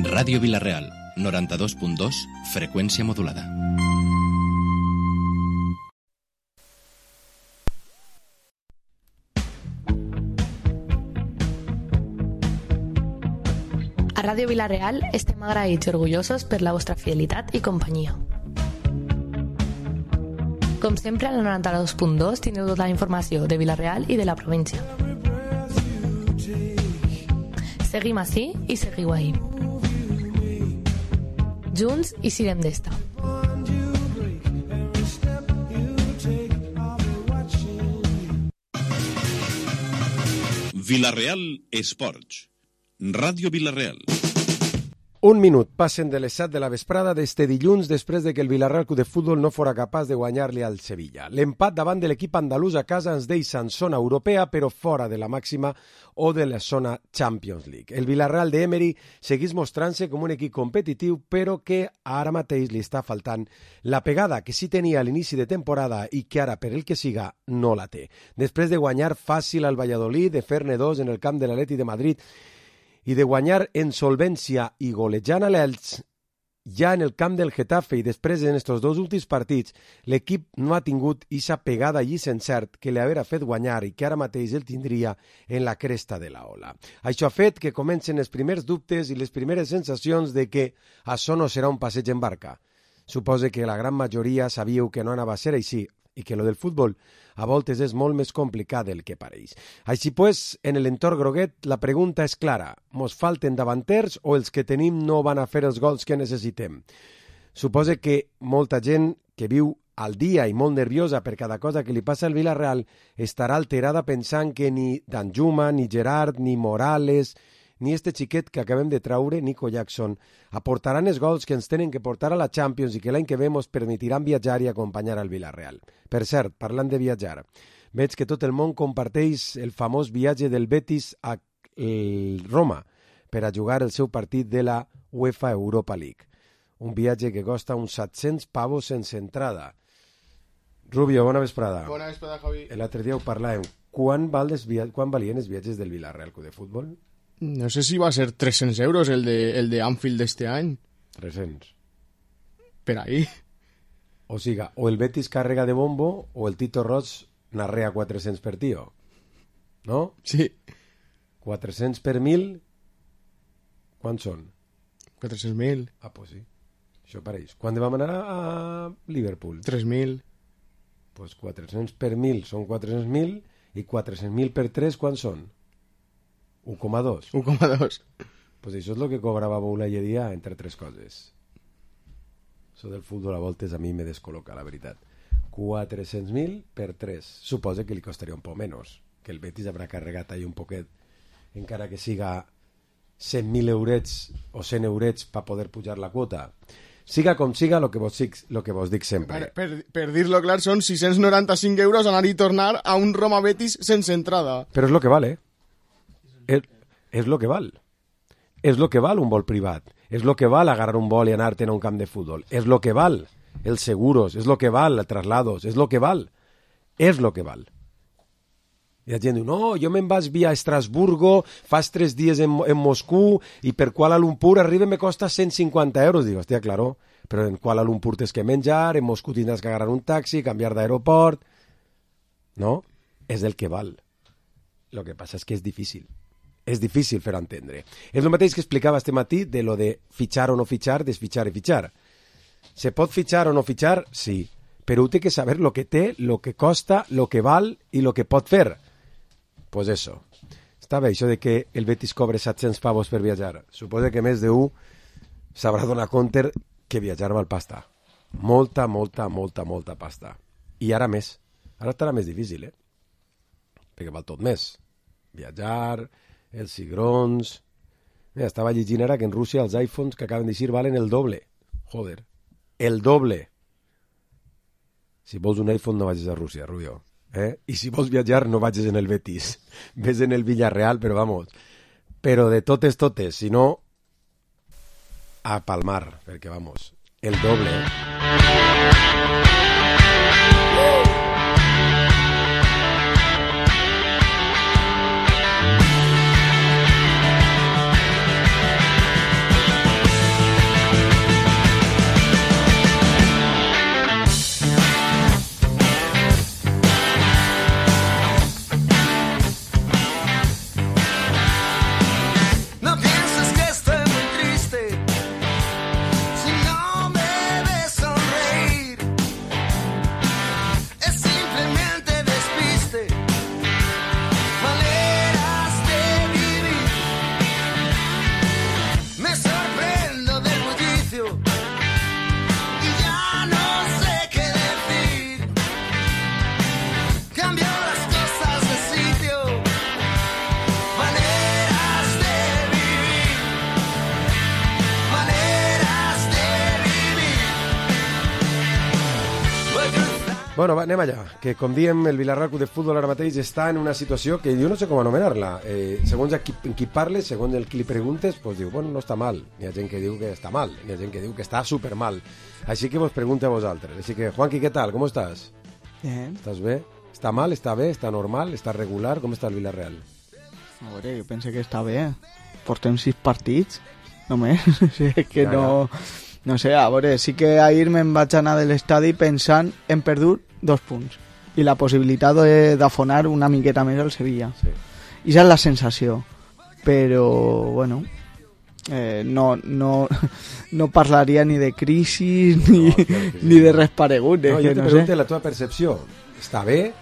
Ràdio Vila-real, 92.2, freqüència modulada. A Ràdio Vila-real estem agraïts i orgullosos per la vostra fidelitat i companyia. Com sempre, al 92.2 tindreu tota la informació de Vila-real i de la província. Seguim ací i seguiu ahí. Junts i sirem d'esta. Vila-real Esports. Ràdio Vila-real. Un minut passen de les 7 de la vesprada d'este dilluns després de que el Vila-real Club de Futbol no fora capaç de guanyar-li al Sevilla. L'empat davant de l'equip andalús a casa ens deixa en zona europea, però fora de la màxima o de la zona Champions League. El Vila-real d'Emery segueix mostrant-se com un equip competitiu, però que ara mateix li està faltant la pegada que sí tenia a l'inici de temporada i que ara, per el que siga, no la té. Després de guanyar fàcil al Valladolid, de fer-ne 2 en el camp de l'Atleti de Madrid i de guanyar en solvència i golejant a l'Elx, ja en el camp del Getafe i després en estos dos últims partits, l'equip no ha tingut ixa pegada i encert que li haurà fet guanyar i que ara mateix el tindria en la cresta de la ola. Això ha fet que comencen els primers dubtes i les primeres sensacions de que això no serà un passeig en barca. Suposo que la gran majoria sabíeu que no anava a ser així i que lo del futbol a voltes és molt més complicat del que pareix. Així pues, en l'entorn groguet, la pregunta és clara. Mos falten davanters o els que tenim no van a fer els gols que necessitem? Suposo que molta gent que viu al dia i molt nerviosa per cada cosa que li passa al Vila-real estarà alterada pensant que ni Danjuma, ni Gerard, ni Morales, ni este xiquet que acabem de traure, Nico Jackson, aportaran els gols que ens tenen que portar a la Champions i que l'any que ve ens permetiran viatjar i acompanyar al Vila-real. Per cert, parlant de viatjar, veig que tot el món comparteix el famós viatge del Betis a Roma per a jugar el seu partit de la UEFA Europa League. Un viatge que costa uns 700 pavos sense entrada. Rubio, bona vesprada. Bona vesprada, Javi. L'altre dia ho parlàvem. Quan valien els viatges del Vila-real Club de Futbol? No sé si va a ser 300 euros el de Anfield d'este any. 300. Per ahí. O siga, o el Betis carrega de bombo o el Tito Roig narrea 400 per tio. ¿No? Sí. 400 per 1.000, quants són? 400.000. Ah, pues sí. Això pareix. Quan vam anar a Liverpool? 3.000. Pues 400 per 1.000 són 400.000 i 400.000 per 3 quants són? 1,2. 1,2. Pues això és el que cobrava Boula i dia entre tres coses. Això del futbol a voltes a mi me descol·loca, la veritat. 400.000 per 3. Suposa que li costaria un poc menys, que el Betis haurà carregat ahí un poquet, encara que siga 100.000 eurets o 100 eurets per poder pujar la quota. Siga com siga, lo que vos dic sempre. Per dir-lo clar, són 695 euros anar i tornar a un Roma Betis sense entrada. Però és lo que val, És lo que val. És lo que val un vol privat. És lo que val agarrar un vol i anar-te'n a un camp de futbol. És lo que val els seguros. És lo que val els traslados. És lo que val. És lo que val. I la gent diu, no, jo me'n vaig via Estrasburgo, fas 3 dies en Moscú i per Kuala Lumpur arriba me costa 150 euros. Dic, hòstia, claro, però en Kuala Lumpur tens que menjar, en Moscú tindràs que agarrar un taxi, canviar d'aeroport. No? És el que val. Lo que passa és que és difícil. És difícil fer entendre. És el mateix que explicava este matí de lo de fitxar o no fitxar, desfitxar i fitxar. Se pot fitxar o no fitxar? Sí. Però ho té que saber lo que té, lo que costa, lo que val i lo que pot fer. Pues eso. Està bé això de que el Betis cobre 700 pavos per viatjar. Suposa que més d'un sabrà donar compte que viatjar val pasta. Molta pasta. I ara més. Ara estarà més difícil, perquè val tot més. Viatjar, els cigrons... Mira, estava llegint ara que en Rússia els iPhones que acaben d'eixir valen el doble. Joder, el doble. Si vols un iPhone no vagis a Rússia, Rubio. I si vols viatjar no vagis en el Betis. Ves en el Villarreal, però vamos. Però de totes, si no, a palmar, perquè vamos, el doble. Bueno, va, anem allà, que com diem, el Villarreal Club de Futbol ara mateix està en una situació que jo no sé com anomenar-la. Segons a qui parles, segons el qui li preguntes, pues diu, bueno, no està mal. Hi ha gent que diu que està mal, hi ha gent que diu que està supermal. Així que vos pregunto a vosaltres. Així que, Juanqui, què tal? ¿Cómo estás? Bien. ¿Estás bé? ¿Està mal? ¿Està bé? ¿Està normal? ¿Està regular? Com està el Villarreal? A veure, jo pense que està bé. Portem 6 partits, només. O sigui, que Ja, no... No sé, a veure, sí que ahir me'n vaig anar de l'estadi pensant en perdut 2 punts i la possibilitat d'afonar una miqueta més al Sevilla. Sí. I esa és la sensació. Però, bueno, no parlaria ni de crisi ni, ni de res paregut. No, jo te no pregunto sé. la teva percepció. Està bé?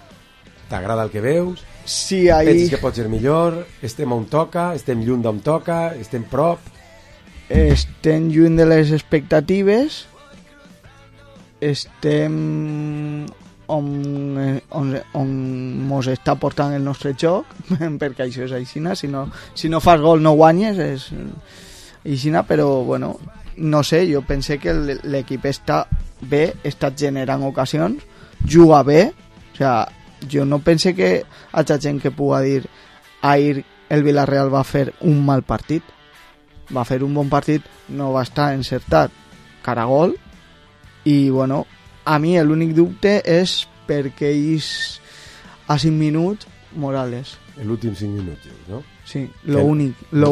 T'agrada el que veus? Sí, ahir... Penses que pot ser millor? Estem on toca? Estem lluny d'on toca? Estem prop? Estem lluny de les expectatives, estem on mos està portant el nostre joc, perquè això és aixina, si no fas gol no guanyes, és aixina, però bueno, no sé, jo pense que l'equip està bé, està generant ocasions, juga bé, o sea, jo no pense que hi hagi gent que pugui dir ahir el Villarreal va fer un mal partit. Va fer un bon partit, no va estar encertat cara a gol i bueno, a mi l'únic dubte és perquè ells a 5 minuts Morales. L'últim 5 minuts, no? Sí, lo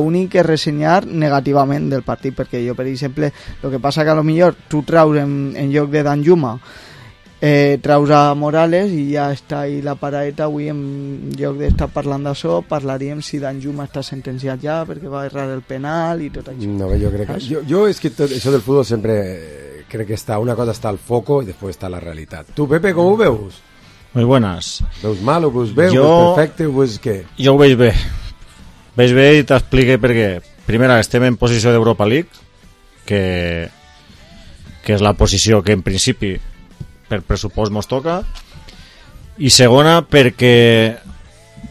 únic que ressenyar negativament del partit, perquè jo, per exemple, el que passa que a lo millor tu traus en lloc de Danjuma traus a Morales i ja està ahí la paraeta. Avui en lloc d'estar parlant d'això parlaríem si Danjuma està sentenciat ja perquè va errar el penal i tot això. No, jo crec que... Jo és que tot això del futbol sempre crec que està, una cosa està al foco i després està la realitat. Tu, Pepe, com ho veus? Muy buenas. Veus mal, ho veus bé, ho Jo- veus perfecte, ho veus què? Jo ho veig bé. Veig bé i t'explique per què. Primera, estem en posició d'Europa League, que és la posició que en principi per pressupost mos toca, i segona perquè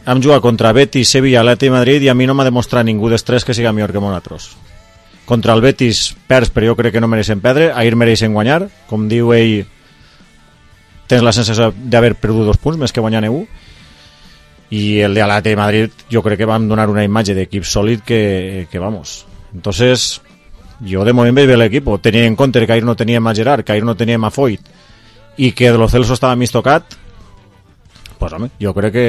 hem jugat contra Betis, Sevilla, Atleti i Madrid i a mi no m'ha demostrat ningú dels tres que siga millor que nosaltres. Contra el Betis perds, però jo crec que no mereixen perdre, ahir mereixen guanyar, com diu ell, tens la sensació d'haver perdut 2 punts més que guanyar 1, i el de Atleti i Madrid jo crec que vam donar una imatge d'equip sòlid que vamos. Entonces jo de moment veig bé l'equip, tenint en compte que ahir no teníem a Gerard, que ahir no teníem a Foyt i que de Lo Celso estava mig tocat, pues home, jo crec que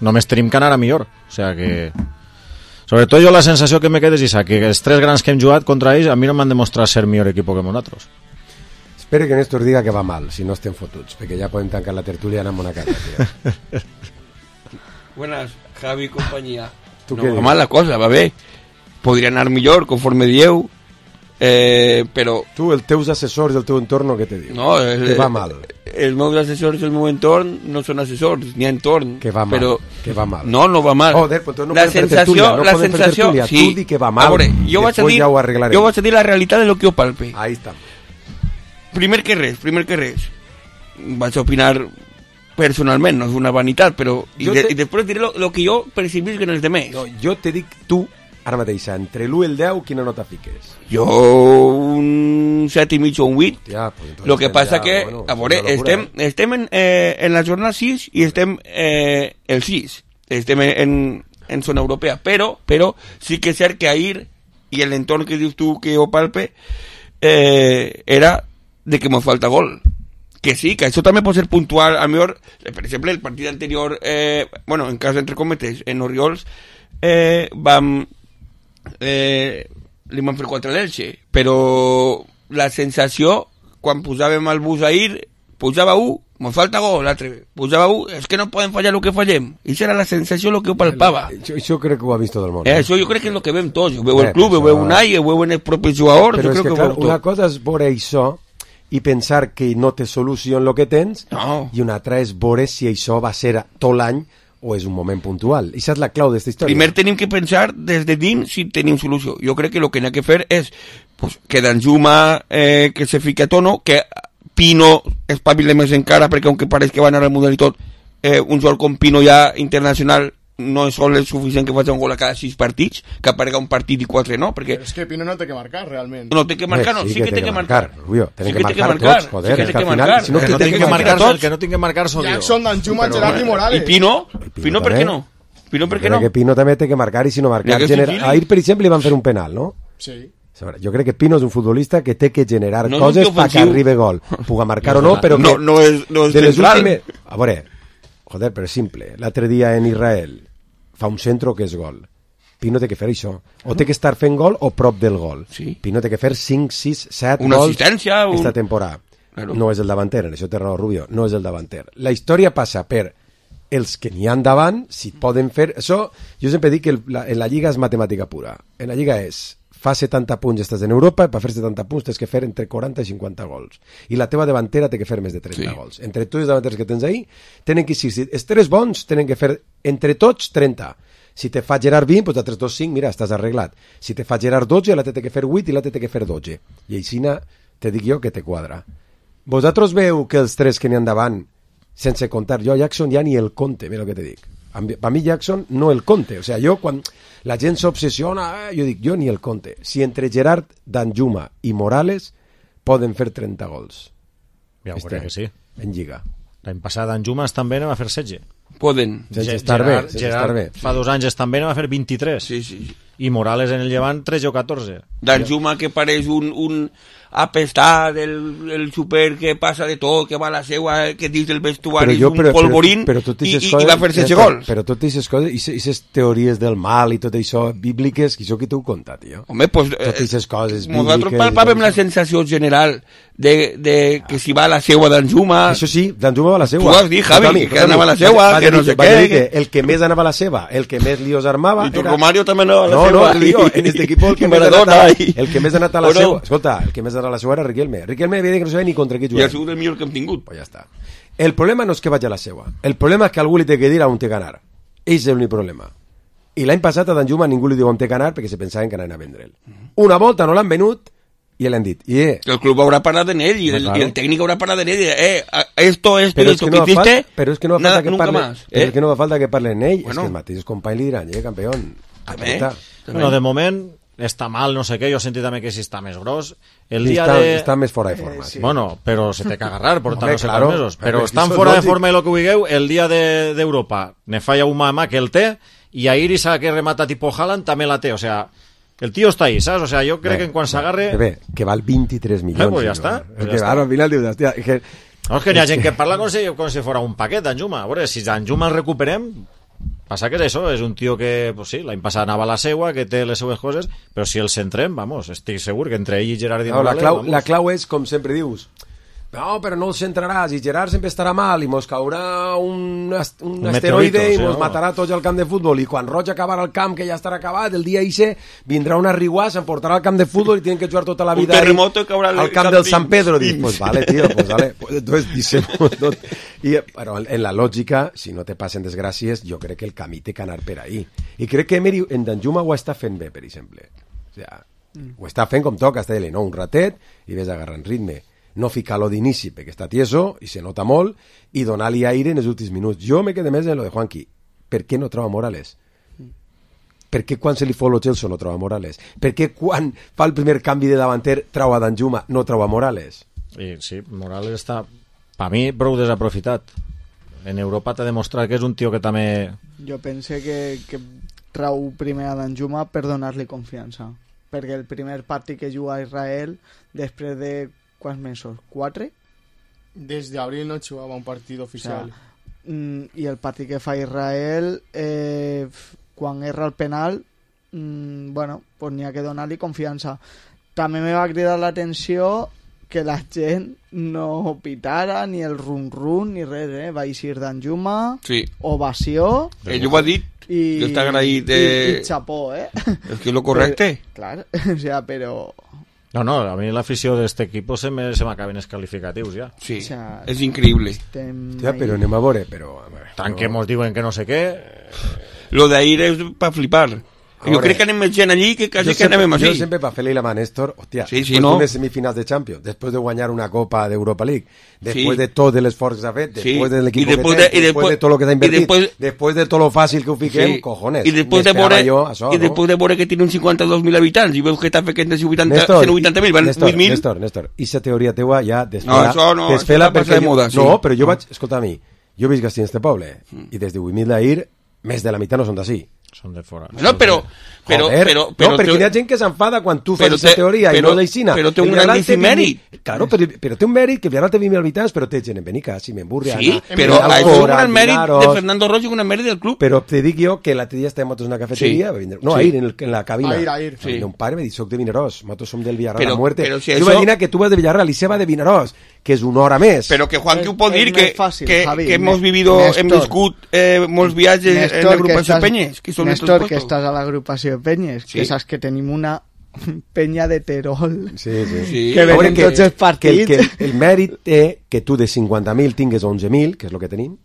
només tenim que anar a millor. O sea que sobretot jo la sensació que me queda és esa, que els 3 grans que hem jugat contra ells a mi no m'han demostrat ser millor equip que nosaltres. Espero que Néstor diga que va mal, si no estem fotuts, perquè ja podem tancar la tertúlia i anar a una casa, tio. Buenas, Javi y compañía. ¿Tú No qué va dices? mal la cosa, va bé. Podria anar millor, conforme dieu, però... Tu, els teus assessors del teu entorn, què te diu? No, que va mal. Els meus assessors del meu entorn no són assessors, ni entorn. Que va mal, però... que va mal. No, no va mal. Joder, pues entonces no la podem fer sensació, tertúlia, no la podem fer sensació, tertúlia. sí. Tu di que va mal, A veure, jo vaig a després dir, ja ho arreglarem. jo vaig a dir la realitat de lo que jo palpe. Ahí està. Primer que res, vaig a opinar personalment, no és una vanitat, però... I després diré lo que jo percibisc en els demés. No, jo te dic tu, ara mateix, entre l'1 i el 10, quina nota fiques? Jo un 7 i mig o un 8. Ja, pues entonces Lo que passa ja, que, bueno, a veure, és una locura, estem en la jornada 6 i estem el 6. Estem en zona europea, però sí que és cert que ahir, i l'entorn que dius tu que ho palpe, era de que mos falta gol. Que sí, que això també pot ser puntual. A millor, per exemple, el partit anterior, bueno, en cas entre cometes, en Oriols, li van fer 4 a l'Elche, però la sensació, quan posàvem el bus ahir, pujava 1, mos falta gol, l'altre, pujava 1, és que no podem fallar el que fallem. I això era la sensació, el que ho palpava. Això crec que ho ha vist tot el món. Això jo crec que és el que veiem tots. Ho veu el club, ho veu Unai, ho veuen els propis jugadors, però jo és crec que, que ho clar, veu tot. una cosa és veure això i pensar que no té solució en el que tens, No. i una altra és veure si això va ser tot l'any o és un moment puntual. I això és la clau d'aquesta història. Primer tenim que pensar des de dins si tenim solució. Jo crec que el que n'ha que fer és pues, que Danjuma que se fique a tono, que Pino espavile més encara, perquè aunque pareix que va anar al Mundial i tot, un jugador com Pino ja internacional no és sol el suficient que faci un gol a cada 6 partits, que aparega un partit i 4 no, perquè... És que Pino no té que marcar, realment. No té que marcar, no, sí que té que marcar. Rubio, tenen que marcar tots, joder, és que al final... Si no, el que no tinc que marcar sóc jo. Jackson, Danjuma, Gerard i Morales. I Pino? Pino per què no? Pino per què no? Que Pino també té que marcar, i si no marcar... Ahir, per exemple, li van fer un penal, no? Sí. Jo crec que Pino és un futbolista que té que generar coses perquè arribi gol. Puga marcar o no, però que... No és central. A veure, joder, però és simple. L'altre dia en Israel fa un centro que és gol. Pino té que fer això. O té que estar fent gol o prop del gol. Sí. Pino té que fer 5, 6, 7 una gols assistència, esta temporada. Claro. No és el davanter, en això té raó Rubio, no és el davanter. La història passa per els que n'hi han davant, si poden fer... Això, jo sempre dic que en la Lliga és matemàtica pura. En la Lliga és fa 70 punts estàs en Europa, per fer 70 punts tens que fer entre 40 i 50 gols. I la teva davantera té que fer més de 30 gols. Entre tots els davanters que tens ahí, tenen que, si els 3 bons, tenen que fer entre tots 30. Si te fa Gerard 20, doncs altres 2, 5, mira, estàs arreglat. Si te fa Gerard 12, l'altre té que fer 8 i l'altre té que fer 12. I així te dic jo que te quadra. Vosaltres veu que els 3 que n'hi han davant, sense comptar, jo a Jackson ja ni el compte, mira el que te dic. Per mi Jackson no el compte. O sea, jo quan la gent s'obsessiona, jo dic, jo ni el compte. Si entre Gerard, Danjuma i Morales poden fer 30 gols. Ja ho crec que sí. En Lliga. L'any passat Danjuma també va fer 16. Poden. Sense estar bé. Fa 2 anys també va fer 23. Sí. I Morales en el Llevant 13 o 14. Danjuma que pareix un apestat, el super que passa de tot, que va a la seua, que dins del vestuari és un polvorín, i va fer 16 gols. Però totes aquestes coses, i aquestes teories del mal i tot això bíbliques, que això qui t'ho conta, tio? Home, pues... Totes aquestes coses bíbliques... Nosaltres palpàvem la sensació general de que si va a la seua Danjuma... Això sí, Danjuma va a la seua. Tu has dit, Javi, que anava a la seua, que no sé què... El que més anava a la seva, el que més líos armava... I tu, Romario, també anava a la seva. No, lío, en este equip el que més ha anat a la seua... Escolta, el que més a la seua era Riquelme. Riquelme havia dit que no sabia ni contra qui jugar. I ha sigut el millor que hem tingut. Pues ja està. El problema no és que vagi a la seua. El problema és que algú li té que dir on té que anar. És l'únic problema. I l'any passat a Danjuma ningú li diu on té que anar perquè se pensaven que anaven a vendre'l. Una volta no l'han venut i l'han dit. El club haurà parat en ell i el tècnic haurà parat en ell. Esto que hiciste, però és que no fa falta que parle. Però és que no fa falta que parle en ell. És que els mateixos companys li diran, campión. Bueno, de moment està mal, no sé què, jo he sentit també que si està més gros està més fora de forma bueno, però se té que agarrar portar no sé quants mesos, però estan fora de forma i el que vulgueu, el dia d'Europa ne falla un mamà que el té i a Iris que remata tipo Haaland també la té, o sea, el tío està ahí, saps? O sea, jo crec que en quan s'agarre que val 23 milions pues ja està, ara al final dius, hòstia, no, és que hi ha gent que parla com si fora un paquet d'Anjuma, a veure, si d'Anjuma el recuperem passa que és això, és un tio que pues sí, l'any passat anava a la seua, que té les seues coses, però si el centrem, vamos, estic segur que entre ell i Gerard i Morales... La clau és, com sempre dius, no, però no el centraràs i Gerard sempre estarà mal i mos caurà un asteroide i mos matarà tots al camp de futbol i quan Roig acabarà el camp, que ja estarà acabat, el dia ixe vindrà una riuà, s'emportarà al camp de futbol i tenen que jugar tota la vida al camp del San Pedro. Dic, pues vale, tío, pues vale. Entonces, dissemos tot. Però en la lògica, si no te passen desgràcies, jo crec que el camí té que anar per ahí. I crec que Emery en Danjuma ho està fent bé, per exemple. O sea, ho està fent com toca, està dient, no, un ratet i ves agarrant ritme. No ficar-lo d'inici perquè està tieso i se nota molt i donar-li aire en els últims minuts. Jo me quedé més en lo de Juanqui. Per què no troba Morales? Per què quan se li fot lo Chelsea no troba Morales? Per què quan fa el primer canvi de davanter troba Danjuma, no troba Morales? Sí, Morales està per mi prou desaprofitat. En Europa t'ha demostrat que és un tio que també... Jo pense que trau primer a Danjuma per donar-li confiança. Perquè el primer partit que juga a Israel, després de quants mesos? 4? Des d'abril no jugava un partit oficial. O sea, i el partit que fa Israel, quan erra el penal, bueno, pues n'hi ha que donar-li confiança. També me va cridar l'atenció que la gent no pitara ni el run-run ni res, va eixir Danjuma, ovació... Ell ho ha dit, que està agraït i xapó, És que és lo correcte. Clar, o sea, però... No, a mi l'afició d'este equip se m'acaben els qualificatius ja. Sí, o sea, és increïble. Hòstia, però anem a veure, tant que mos diuen que no sé què... Lo d'ahir és per flipar. Jo crec que anem més gent allí que quasi que anem Jo així. sempre per fer-li la mà a Néstor, hòstia, Sí, sí, després no? d'unes semifinals de Champions, després de guanyar una Copa d'Europa League, després Sí. de tot l'esforç que s'ha fet, Sí. després de l'equip I que després té, de- i després de després- tot el que s'ha i invertit, després- després de tot lo fàcil que ho fiquem, cojones, I després de m'esperava veure, jo això, i després de veure que tiene uns 52.000 habitants i veus que està fent 180.000, van 8.000. Néstor, i la teoria teua ja No, això no, això està passat de moda, sí. No, però jo vaig, escolta a mi, jo visc a este poble, i des de 8.000 d'ahir, més de la meitat no són d'ací. Són de fora. No, però Joder, no, perquè hi ha gent que s'enfada quan tu fas però aquesta té- teoria i però- no d'aixina. però té El un Villarreal grandíssim té 20.000 mèrit. Claro, però té un mèrit que el Villarreal té 20.000 habitants, però té gent en Benicàssim, en Burriana, Sí, en però això és un Alcora, gran mèrit Vinaros. de Fernando Roig i un gran mèrit del club. Però te dic jo que l'altre dia estàvem nosaltres en una cafeteria, Sí. va vindre- no, Sí. ahir, en la cabina. Ahir. Va vindre un pare i m'ha dit, soc de Vinaròs, nosaltres som del Villarreal Però- a muerte. però si Tu això- imagina que tu vas de Villarreal i se va de Vinaròs, que és una hora més. Però que Juan que ho pot És dir, més que, fàcil, que, Javi. que hemos vivido, Néstor. hem viscut molts viatges en l'agrupació Penyes, que són estos Néstor, que puestos. estàs a l'agrupació Penyes, Sí. que saps que tenim una penya de Terol. Sí, sí. Sí. Que A veure venen tots els partits. que el mèrit té que tu de 50.000 tingues 11.000, que és el que tenim,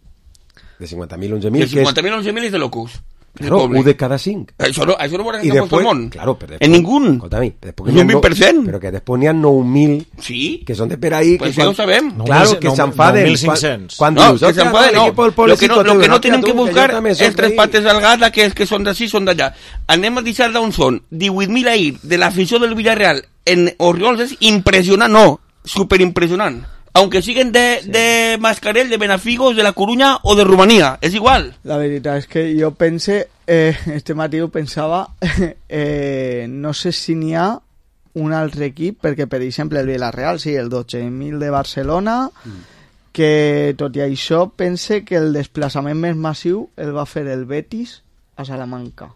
de 50.000 a 11.000, De 50.000 a 11.000 és de locos. Claro, 1 de cada 5. Això no ho veuràs I en tot després, el món. claro, però En ningú. Escolta-mi, després És n'hi ha un 20%. Però que després n'hi ha 9.000 Sí. que són de per ahí. Pues que ja ho sabem. Claro, que s'enfaden. 9.500. Quan No, dius, que hòstia, s'enfaden, no. que pel poble Lo que no, sí, lo que no hòstia, tenen tu, que buscar jo també és soc tres d'ahí. pates al gat, aquells que són d'ací, són d'allà. Anem a deixar d'on són. 18.000 ahir de l'afició del Villarreal en Oriols és impressionant, no, superimpressionant. Aunque siguen de Mascarell, de Benafigos, de La Coruña o de Rumanía, és igual. La veritat és que jo pense, este matí ho pensava, no sé si n'hi ha un altre equip, perquè per exemple el Villarreal, sí, el 12.000 de Barcelona, que tot i això pense que el desplaçament més massiu el va fer el Betis a Salamanca.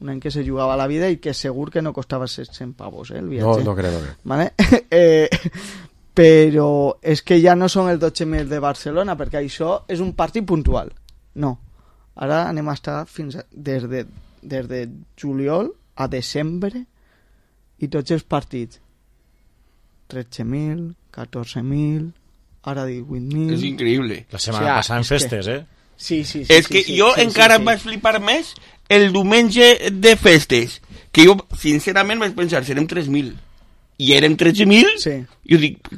Un any que se jugava la vida i que segur que no costava 700 pavos, el No, viatge. no crec, no crec. Vale? Però és que ja no són els 12.000 de Barcelona, perquè això és un partit puntual. No. Ara anem a estar des de juliol a desembre i tots els partits. 13.000, 14.000, ara 18.000... És increïble. La setmana O sigui, passada en és que- festes, Sí, sí, sí. És sí, que sí, jo sí, encara sí, em vaig flipar més el diumenge de festes, que jo sincerament vaig pensar, serem 3.000. I érem 13.000? Sí. Jo dic,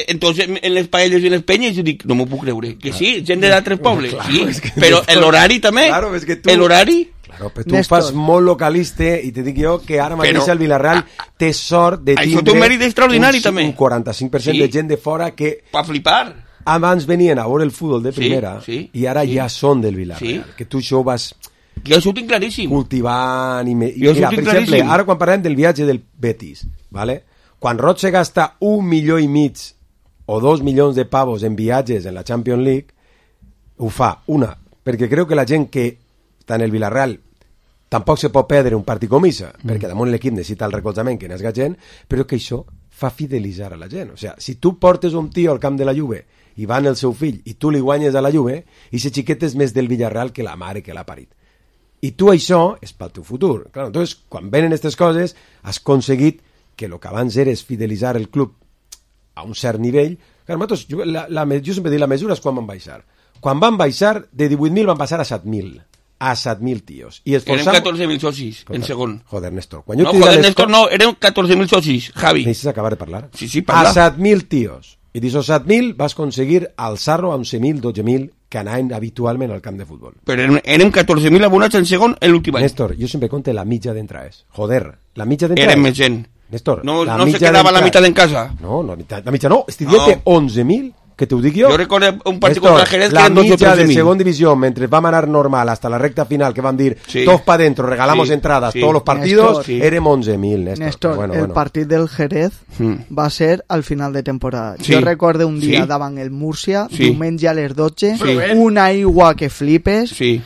entonces en les paelles i en les penyes, jo dic, no m'ho puc creure. Que sí, gent d'altres pobles, Claro, sí. és que Però l'horari també. Claro, és que tu- L'horari... Claro, però tu Néstor. fas molt localista i te dic jo que ara mateix Però- el Villarreal té sort de Això tindre té un mèrit extraordinari, també. un 45% Sí. de gent de fora que Pa flipar. abans venien a veure el futbol de Sí, primera sí, i ara sí. ja són del Villarreal. Sí. Que tu això ho vas Jo això ho tinc claríssim. cultivant i Jo mira, ho tinc per exemple, claríssim. ara quan parlem del viatge del Betis, ¿vale? Quan Roig se gasta 1,5 milions o 2 milions de pavos en viatges en la Champions League, ho fa, una, perquè creu que la gent que està en el Villarreal tampoc se pot perdre un partit com això, perquè damunt l'equip necessita el recolzament que n'esga gent, però que això fa fidelitzar a la gent. O sigui, si tu portes un tio al camp de la Juve i va en el seu fill i tu li guanyes a la Juve, i ese xiquet és més del Villarreal que la mare que l'ha parit. I tu això és pel teu futur. Claro, entonces, quan venen aquestes coses, has aconseguit que el que abans era és fidelitzar el club a un cert nivell. Claro, nosaltres, jo sempre dic, la mesura és quan van baixar. Quan van baixar, de 18.000 van passar a 7.000. A 7.000 tios. I Érem 14.000 socis, en segon. Joder, Néstor. Quan jo No, t'he dit joder, les Néstor, co- no, érem 14.000 socis, Javi. Necessites acabar de parlar. Sí, sí, parla. A 7.000 tios. I d'aquests 7.000 vas aconseguir alçar-lo a 11.000, 12.000 que anaven habitualment al camp de futbol. Però érem 14.000 abonats en segon l'últim any. Néstor, jo sempre conte la mitja d'entrades. Joder, la mitja d'entrades. Érem més gent. Néstor, No, la no se mitja quedava la d'entrades. mitad en casa. No, la mitja no. Estic dient que 11.000, que t'ho dic jo. Jo recordo un partit Néstor, contra el Jerez que la eren 12 o mitja de 13.000. segona divisió, mentre vam anar normal hasta la recta final, que van dir, Sí. todos para dentro, regalamos Sí, entradas, sí. todos los partidos, Néstor, sí. érem 11.000, Néstor. Néstor, Bueno, el bueno. partit del Jerez Mm. va ser al final de temporada. Sí. Jo recordo un dia Sí. davant el Múrcia, Sí. diumenge a les 12, Sí. una aigua que flipes, Sí.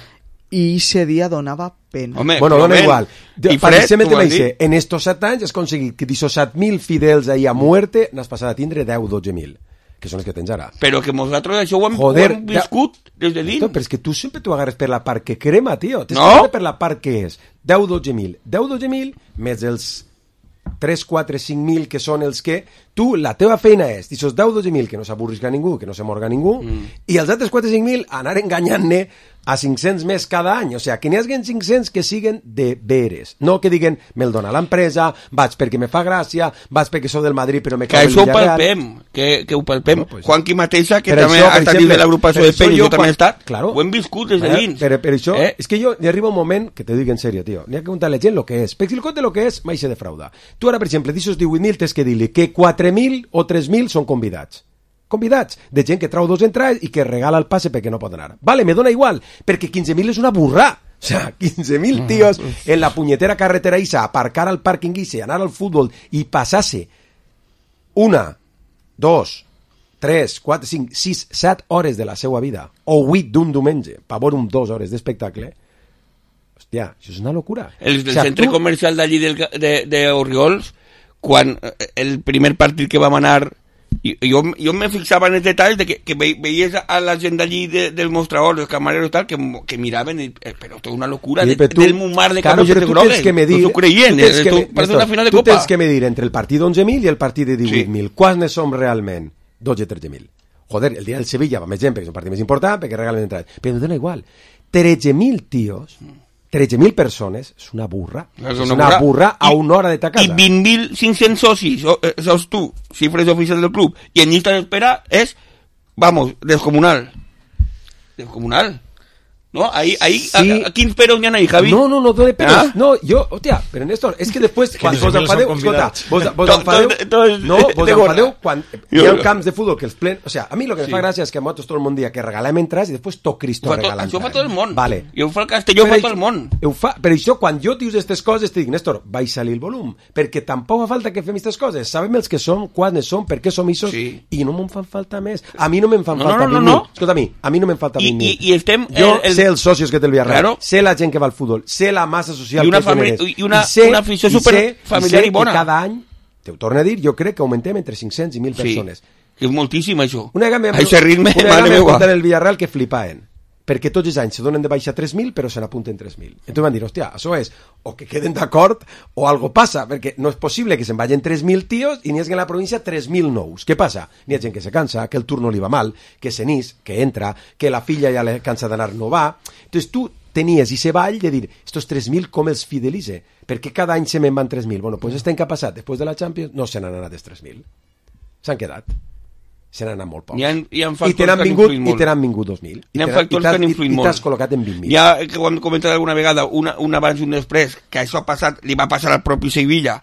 i ese dia donava pena. Home, Bueno, però dona ben, igual. I fred, Pareixement tu vas te dir. en estos 7 anys has aconseguit que d'aquests 7.000 fidels ahí a muerte n'has passat a tindre 10-12.000, que són els que tens ara. Però que nosaltres això ho hem, Joder, ho hem viscut des de dins. Esto, però és que tu sempre t'ho agarres per la part que crema, tio. Tens No. que agarrar per la part que és 10-12.000. 10-12.000 més els 3, 4, 5.000 que són els que tu, la teva feina és d'aquests 10-12.000 que no s'avorrisca ningú, que no se morga ningú, i els altres 4, 5.000 anar enganyant-ne a 500 més cada any. O sigui, que n'hi hagin 500 que siguen de veres. No que diguen, me'l dona l'empresa, vaig perquè me fa gràcia, vaig perquè sóc del Madrid però me que cau el això ho Villarreal. palpem, que ho palpem. Bueno, pues, Juanqui mateixa, que per també això, ha per estat dins exemple, de l'agrupació per de això Pell, jo també he estat, claro, ho hem viscut des de dins. Per això, és que jo, n'hi arriba un moment, que te dic en sèrio, tio, n'hi ha que preguntar a la gent el que és. Perquè si el compte el que és, mai se defrauda. Tu ara, per exemple, d'aixòs 18.000, tens que dir-li que 4.000 o 3.000 són convidats. Convidats, de gent que trau 2 entrades i que regala el passe perquè no pot anar. Vale, me dona igual, perquè 15.000 és una burrà. O sea, 15.000 tios en la punyetera carretera Isa, aparcar al pàrquing Isa, anar al futbol i passar-se 1, 2, 3, 4, 5, 6, 7 hores de la seva vida, o 8 d'un diumenge, per veure 2 hores d'espectacle. Hòstia, això és una locura. El del centre comercial d'allí d'Orriols, quan el primer partit que vam anar, jo me fixava en els detalls de que veies a la gent d'allí del mostrador, dels camareros i tal, que miraven, però és una locura, del mar de camisetes grogues, no s'ho creien, parece una final de tu copa. tens que medir entre el partit d'11.000 i el partit de 18.000. Quants ne som realment? 12 o 13.000. Joder, el dia del Sevilla va més gent perquè és un partit més important, perquè regalen entrades, però em dona igual. 13.000 tios, 13.000 persones, és una burra. És una burra a una hora de ta casa. I 20.500 socis, sos tu, xifres oficials del club, i en llista d'espera és, vamos, descomunal. Descomunal. ¿No? Ahí sí. ¿A quins peros n'hi ha ahí, Javi? No dona peros. No, jo, hòstia, però Néstor, és que després, quan vos enfadeu, escolta, vos enfadeu quan hi ha camps de futbol que els plen... O sea, a mi lo que me fa gràcia és que a motos tot el món dia que regalem entrades i després tot Cristo regala entrades. Això fa tot el món. Vale. I ho fa el Castelló, fa tot el món. Per això, quan jo dius aquestes coses, te dic, Néstor, vaig salir el volum, perquè tampoc fa falta que fem aquestes coses. Sabem els que som, quants som, per què som issos, i no me'n fan falta més. A mi no me'n fan falta 20.000. Escolta, a mi no me'n falta 20.000. I estem... Jo sé els socios que té el Villarreal, sé la gent que va al futbol, sé la massa social que genera, i una afició superfamiliar i bona. Que cada any, te ho torno a dir, jo crec que augmentem entre 500 i 1.000 persones. Que és moltíssim, això. Una vegada m'he apuntat el Villarreal que flipaven, perquè tots els anys se donen de baixa 3.000 però se n'apunten 3.000. Entonces van dir, hòstia, això és o que queden d'acord o algo passa, perquè no és possible que se'n vagin 3.000 tios i n'hi hagi en la província 3.000 nous. Què passa? N'hi ha gent que se cansa, que el turno li va mal, que se n'ís, que entra, que la filla ja le cansa d'anar, no va. Entonces tu tenies ese ball de dir, estos 3.000 com els fidelize? Perquè cada any se me'n van 3.000. Bueno, pues este any que ha passat, després de la Champions, no se n'han anat els 3.000. S'han quedat. Se n'han anat molt pocs. I te n'han vingut 2.000. Hi ha factors que han influït molt. I t'has col·locat en 20.000. Ja que ho hem comentat alguna vegada, un abans i un després, que això ha passat, li va passar al propi Sevilla,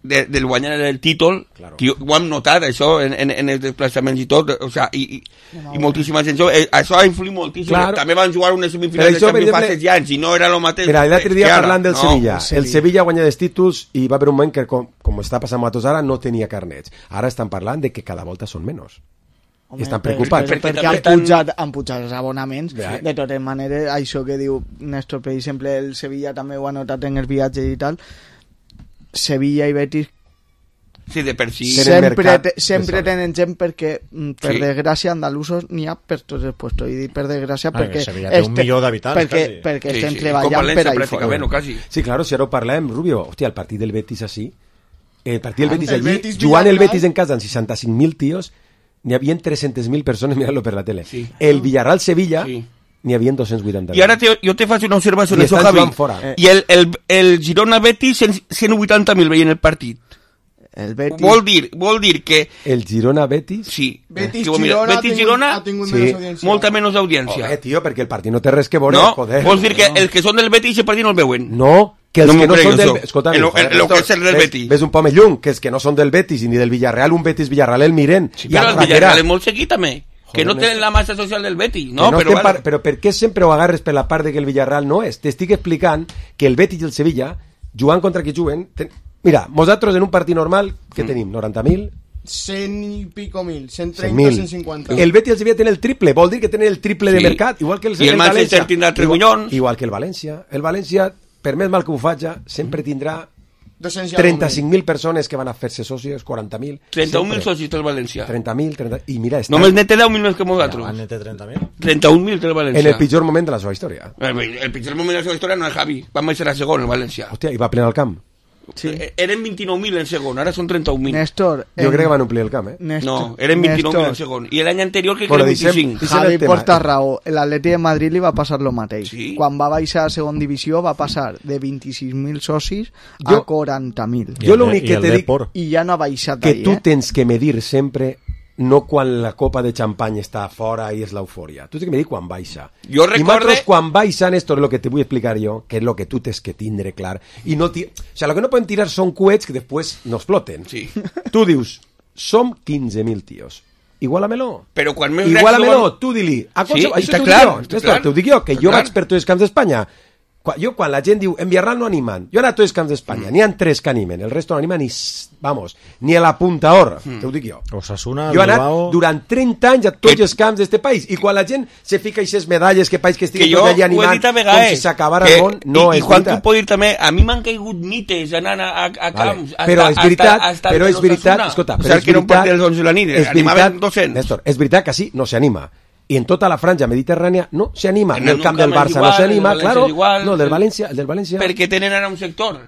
del guanyar el títol, claro. Que ho hem notat, això, en els desplaçaments i tot, o sea, i moltíssima gent, això ha influït moltíssim. Claro. També van jugar unes semifinals de Champions fa 6 anys, i no era el mateix. Mira, l'altre dia parlant del Sevilla, el Sevilla guanya els títols i va haver un moment que, com està passant a tots ara, no tenia carnets. Ara estan parlant de que cada volta són menys. Home, estan preocupats. Perquè han pujat els abonaments. De totes maneres, això que diu Néstor, per exemple, el Sevilla també ho ha notat en els viatges i tal, Sevilla i Betis de per si sempre tenen gent perquè per desgràcia andalusos n'hi ha per tots els puestos, i per desgràcia perquè Sevilla té 1 milió d'habitants perquè estem treballant per ahí fora. Sí, claro, si ara ho parlem, Rubio, hòstia, el partit del Betis així, el partit del Betis allí, jugant el Betis en casa amb 65.000 tios, n'hi havia 300.000 persones mirant-lo per la tele. El Villarreal-Sevilla n'hi havia 280.000. I ara jo te faig una observació en això, Javi. I el Girona-Betis 180.000 veient el partit. El Betis... Vol dir que... El Girona-Betis? Sí. Betis-Girona ha tingut molta menys audiència. Tio, perquè el partit no té res que veure. No, vols dir que els que són del Betis el partit no el veuen? No, que els que no són del... Escolta, el que és el del Betis. Ves un poc lluny, que els que no són del Betis ni del Villarreal, un Betis-Villarreal el miren. Sí, però el Villarreal és molt seguit també. Que no tenen la massa social del Betis, no? Però per què sempre ho agarres per la part de que el Villarreal no és? T'estic explicant que el Betis i el Sevilla, jugant contra qui juguen... Mira, nosaltres en un partit normal, què tenim? 90.000? 100 i pico mil, 130, 150. El Betis i el Sevilla tenen el triple, vol dir que tenen el triple de mercat, igual que el Manchester tindrà 3 milions. Igual que el València. El València, per més mal que ho faci, sempre tindrà 35.000 persones que van a fer-se socis, 40.000. 31.000 socis del València. 30.000, i mira... Només ne té 10.000 més que nosaltres. Ne té 30.000. 31.000 del València. En el pitjor moment de la seva història. El pitjor moment de la seva història no és Javi. Vam ser a segon, el València. Hòstia, i va plenar el camp. Sí. Eren 29.000 en segon, ara són 31.000. Néstor... Jo crec que van omplir el camp, No, eren 29.000 en segon. I l'any anterior crec que Bueno, eren 25. deixem Javi el tema. porta raó. L'Atleti de Madrid li va passar lo mateix. Sí? Quan va baixar a segon divisió va passar de 26.000 socis a Jo- 40.000. Jo l'únic que el te dic Depor. I ja no ha baixat que ahí, tu tens que medir sempre no quan la copa de xampany està fora i és l'eufòria. Tu tens que medir quan baixa. Jo I recorde- nosaltres quan baixa, Néstor, és el que te vull explicar jo, que és el que tu tens que tindre clar. I no o sea, lo que no podem tirar són coets que després no exploten. Sí. Tu dius, som 15.000 tios. Igualamelo. Però quan més Igualamelo, tu di-li. A Sí, qualsevol- està això t'ho clar, dic jo, està Néstor, clar. t'ho dic jo, que Està jo clar. vaig per tots els camps d'Espanya. Jo, quan la gent diu, en Villarreal no animen, jo he anat a tots els camps d'Espanya, n'hi ha 3 que animen, el resto no animen ni a la Puntaor, te ho dic jo. Osasuna, Jo he anat Bilbao... durant 30 anys a tots els camps d'este país, i quan la gent se fica aquestes medalles que país que Que estigui jo tot ho allà he animant, dit a com vegades. si s'acabara el món, no I és quan tu veritat. pots dir també, a mi m'han caigut mites anant a camps. Vale. Però és veritat, escolta, però és que no veritat, porti els 11 de la nit, és animaven veritat, 200. Néstor, és veritat que així no s'anima. I en tota la franja mediterrània no s'anima. En En el un camp camp del és Barça igual, no s'anima, el del València claro. és igual. No, el del València... Perquè tenen ara un sector.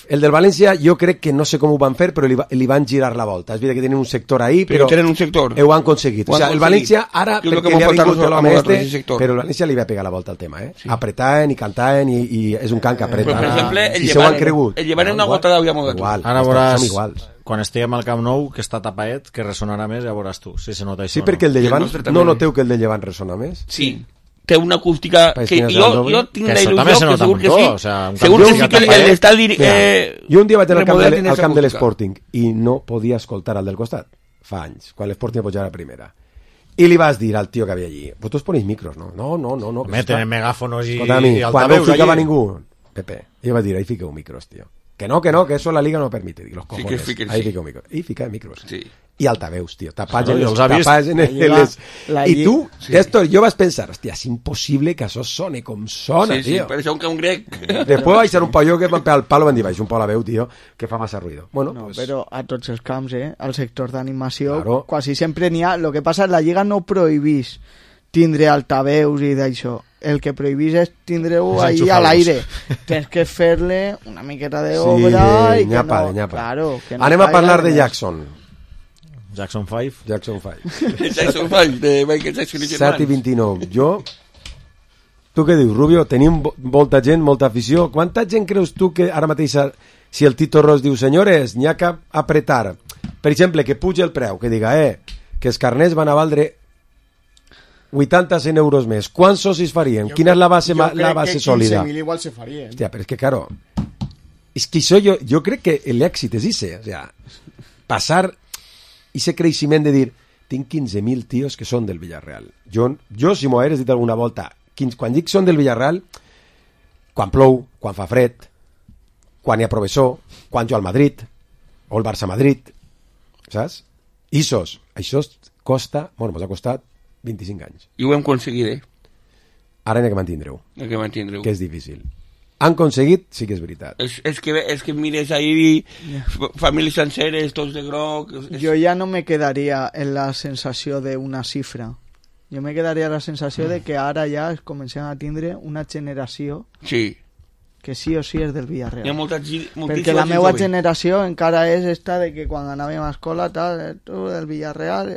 El del València jo crec que no sé com ho van fer, però li van girar la volta. És veritat que tenen un sector ahí, Però però tenen un sector. ho han aconseguit. Ho O han sea, el aconseguit. València ara, Jo crec perquè que li ha m'ho portaran vingut a l'home nosaltres, este, ese sector. però el València li va pegar la volta al tema, Sí. Apretaven i cantaven i és un cant que apreta. Però, per exemple, I se ho han cregut. el llevant una Igual. gota d'au ja m'ho Igual, Ara som veuràs, iguals. quan estiguem al Camp Nou, que està tapaet, que ressonarà més, ja veuràs tu, si se nota això. Sí, perquè el de I el Llevant, nostre també. no noteu que el de Llevant ressona més? Sí. Té una acústica País que que jo tinc Que la això també se il·lusió que nota segur que molt, sí. o sea, un Segur camp que que sí que tapaet. l'estadi Jo un dia vaig anar al camp remodelat al camp de acústica. l'Sporting i no podia escoltar al del costat. Fa anys, quan l'Sporting va pujar a primera. I li vas dir al tio que havia allí, vosotros ponéis micros, no? No. Home, tenen megàfonos i Escolta-mi, quan no altaveus ficava allí. ningú, Pepe, jo vaig dir, ahí fiqueu micros, tío. Que no, que eso la liga no permite. Dic, los Sí que cojones, fiquen, ahí sí. fiqueu micros. I fica micros. Sí. I altaveus, tio, tapats Claro, en els ha vist. les... La I tu, Sí. esto, jo vas pensar, hòstia, és impossible que això sone com sona, Sí, sí, tio. per això un grec. Después va a ser un pollo que van pegar el palo, van dir, un palo a veu, tio, que fa massa ruido. Bueno, No, pues, però a tots els camps, al sector d'animació, Claro. quasi sempre n'hi ha... El que passa, la Lliga no prohibís tindre altaveus i d'això. El que prohibís és tindre-ho És ahí enxufar-los. a l'aire. Tens que fer-le una miqueta de sí, obra i que nyapa, no... nyapa. Claro, que no Anem a caiga parlar de res. Jackson. Jackson 5. Jackson 5. Jackson 5, de Michael Jackson i 7 i germans. 29. Jo... Tu què dius, Rubio? Tenim molta gent, molta afició. Quanta gent creus tu que ara mateix, si el Tito Ros diu, senyores, n'hi ha que apretar, per exemple, que puja el preu, que diga, que els carnets van a valdre 80-100 euros més. Quants socis farien? Quina és la base, la base sòlida? 15.000 igual se farien. Hòstia, però és que, claro, és que això jo crec que l'èxit és ese, o sea, passar ese creixement de dir, tinc 15.000 tios que són del Villarreal. Jo si m'ho hagués dit alguna volta, quan dic són del Villarreal, quan plou, quan fa fred, quan hi ha professor, quan jo al Madrid, o el Barça-Madrid, saps? Això costa, bueno, mos ha costat 25 anys. I ho hem aconseguit, Ara n'hi ha que mantindre-ho, El que mantindreu. que és difícil. Han aconseguit, sí que és veritat. És que mires ahí famílies senceres, tots de groc... Jo ja no me quedaria en la sensació d'una xifra. Jo me quedaria la sensació de que ara ja es comencem a tindre una generació Sí. que sí o sí és del Hi ha Villarreal. moltíssima Perquè la gent meva jove. generació encara és esta de que quan anàvem a escola, tal, tu del Villarreal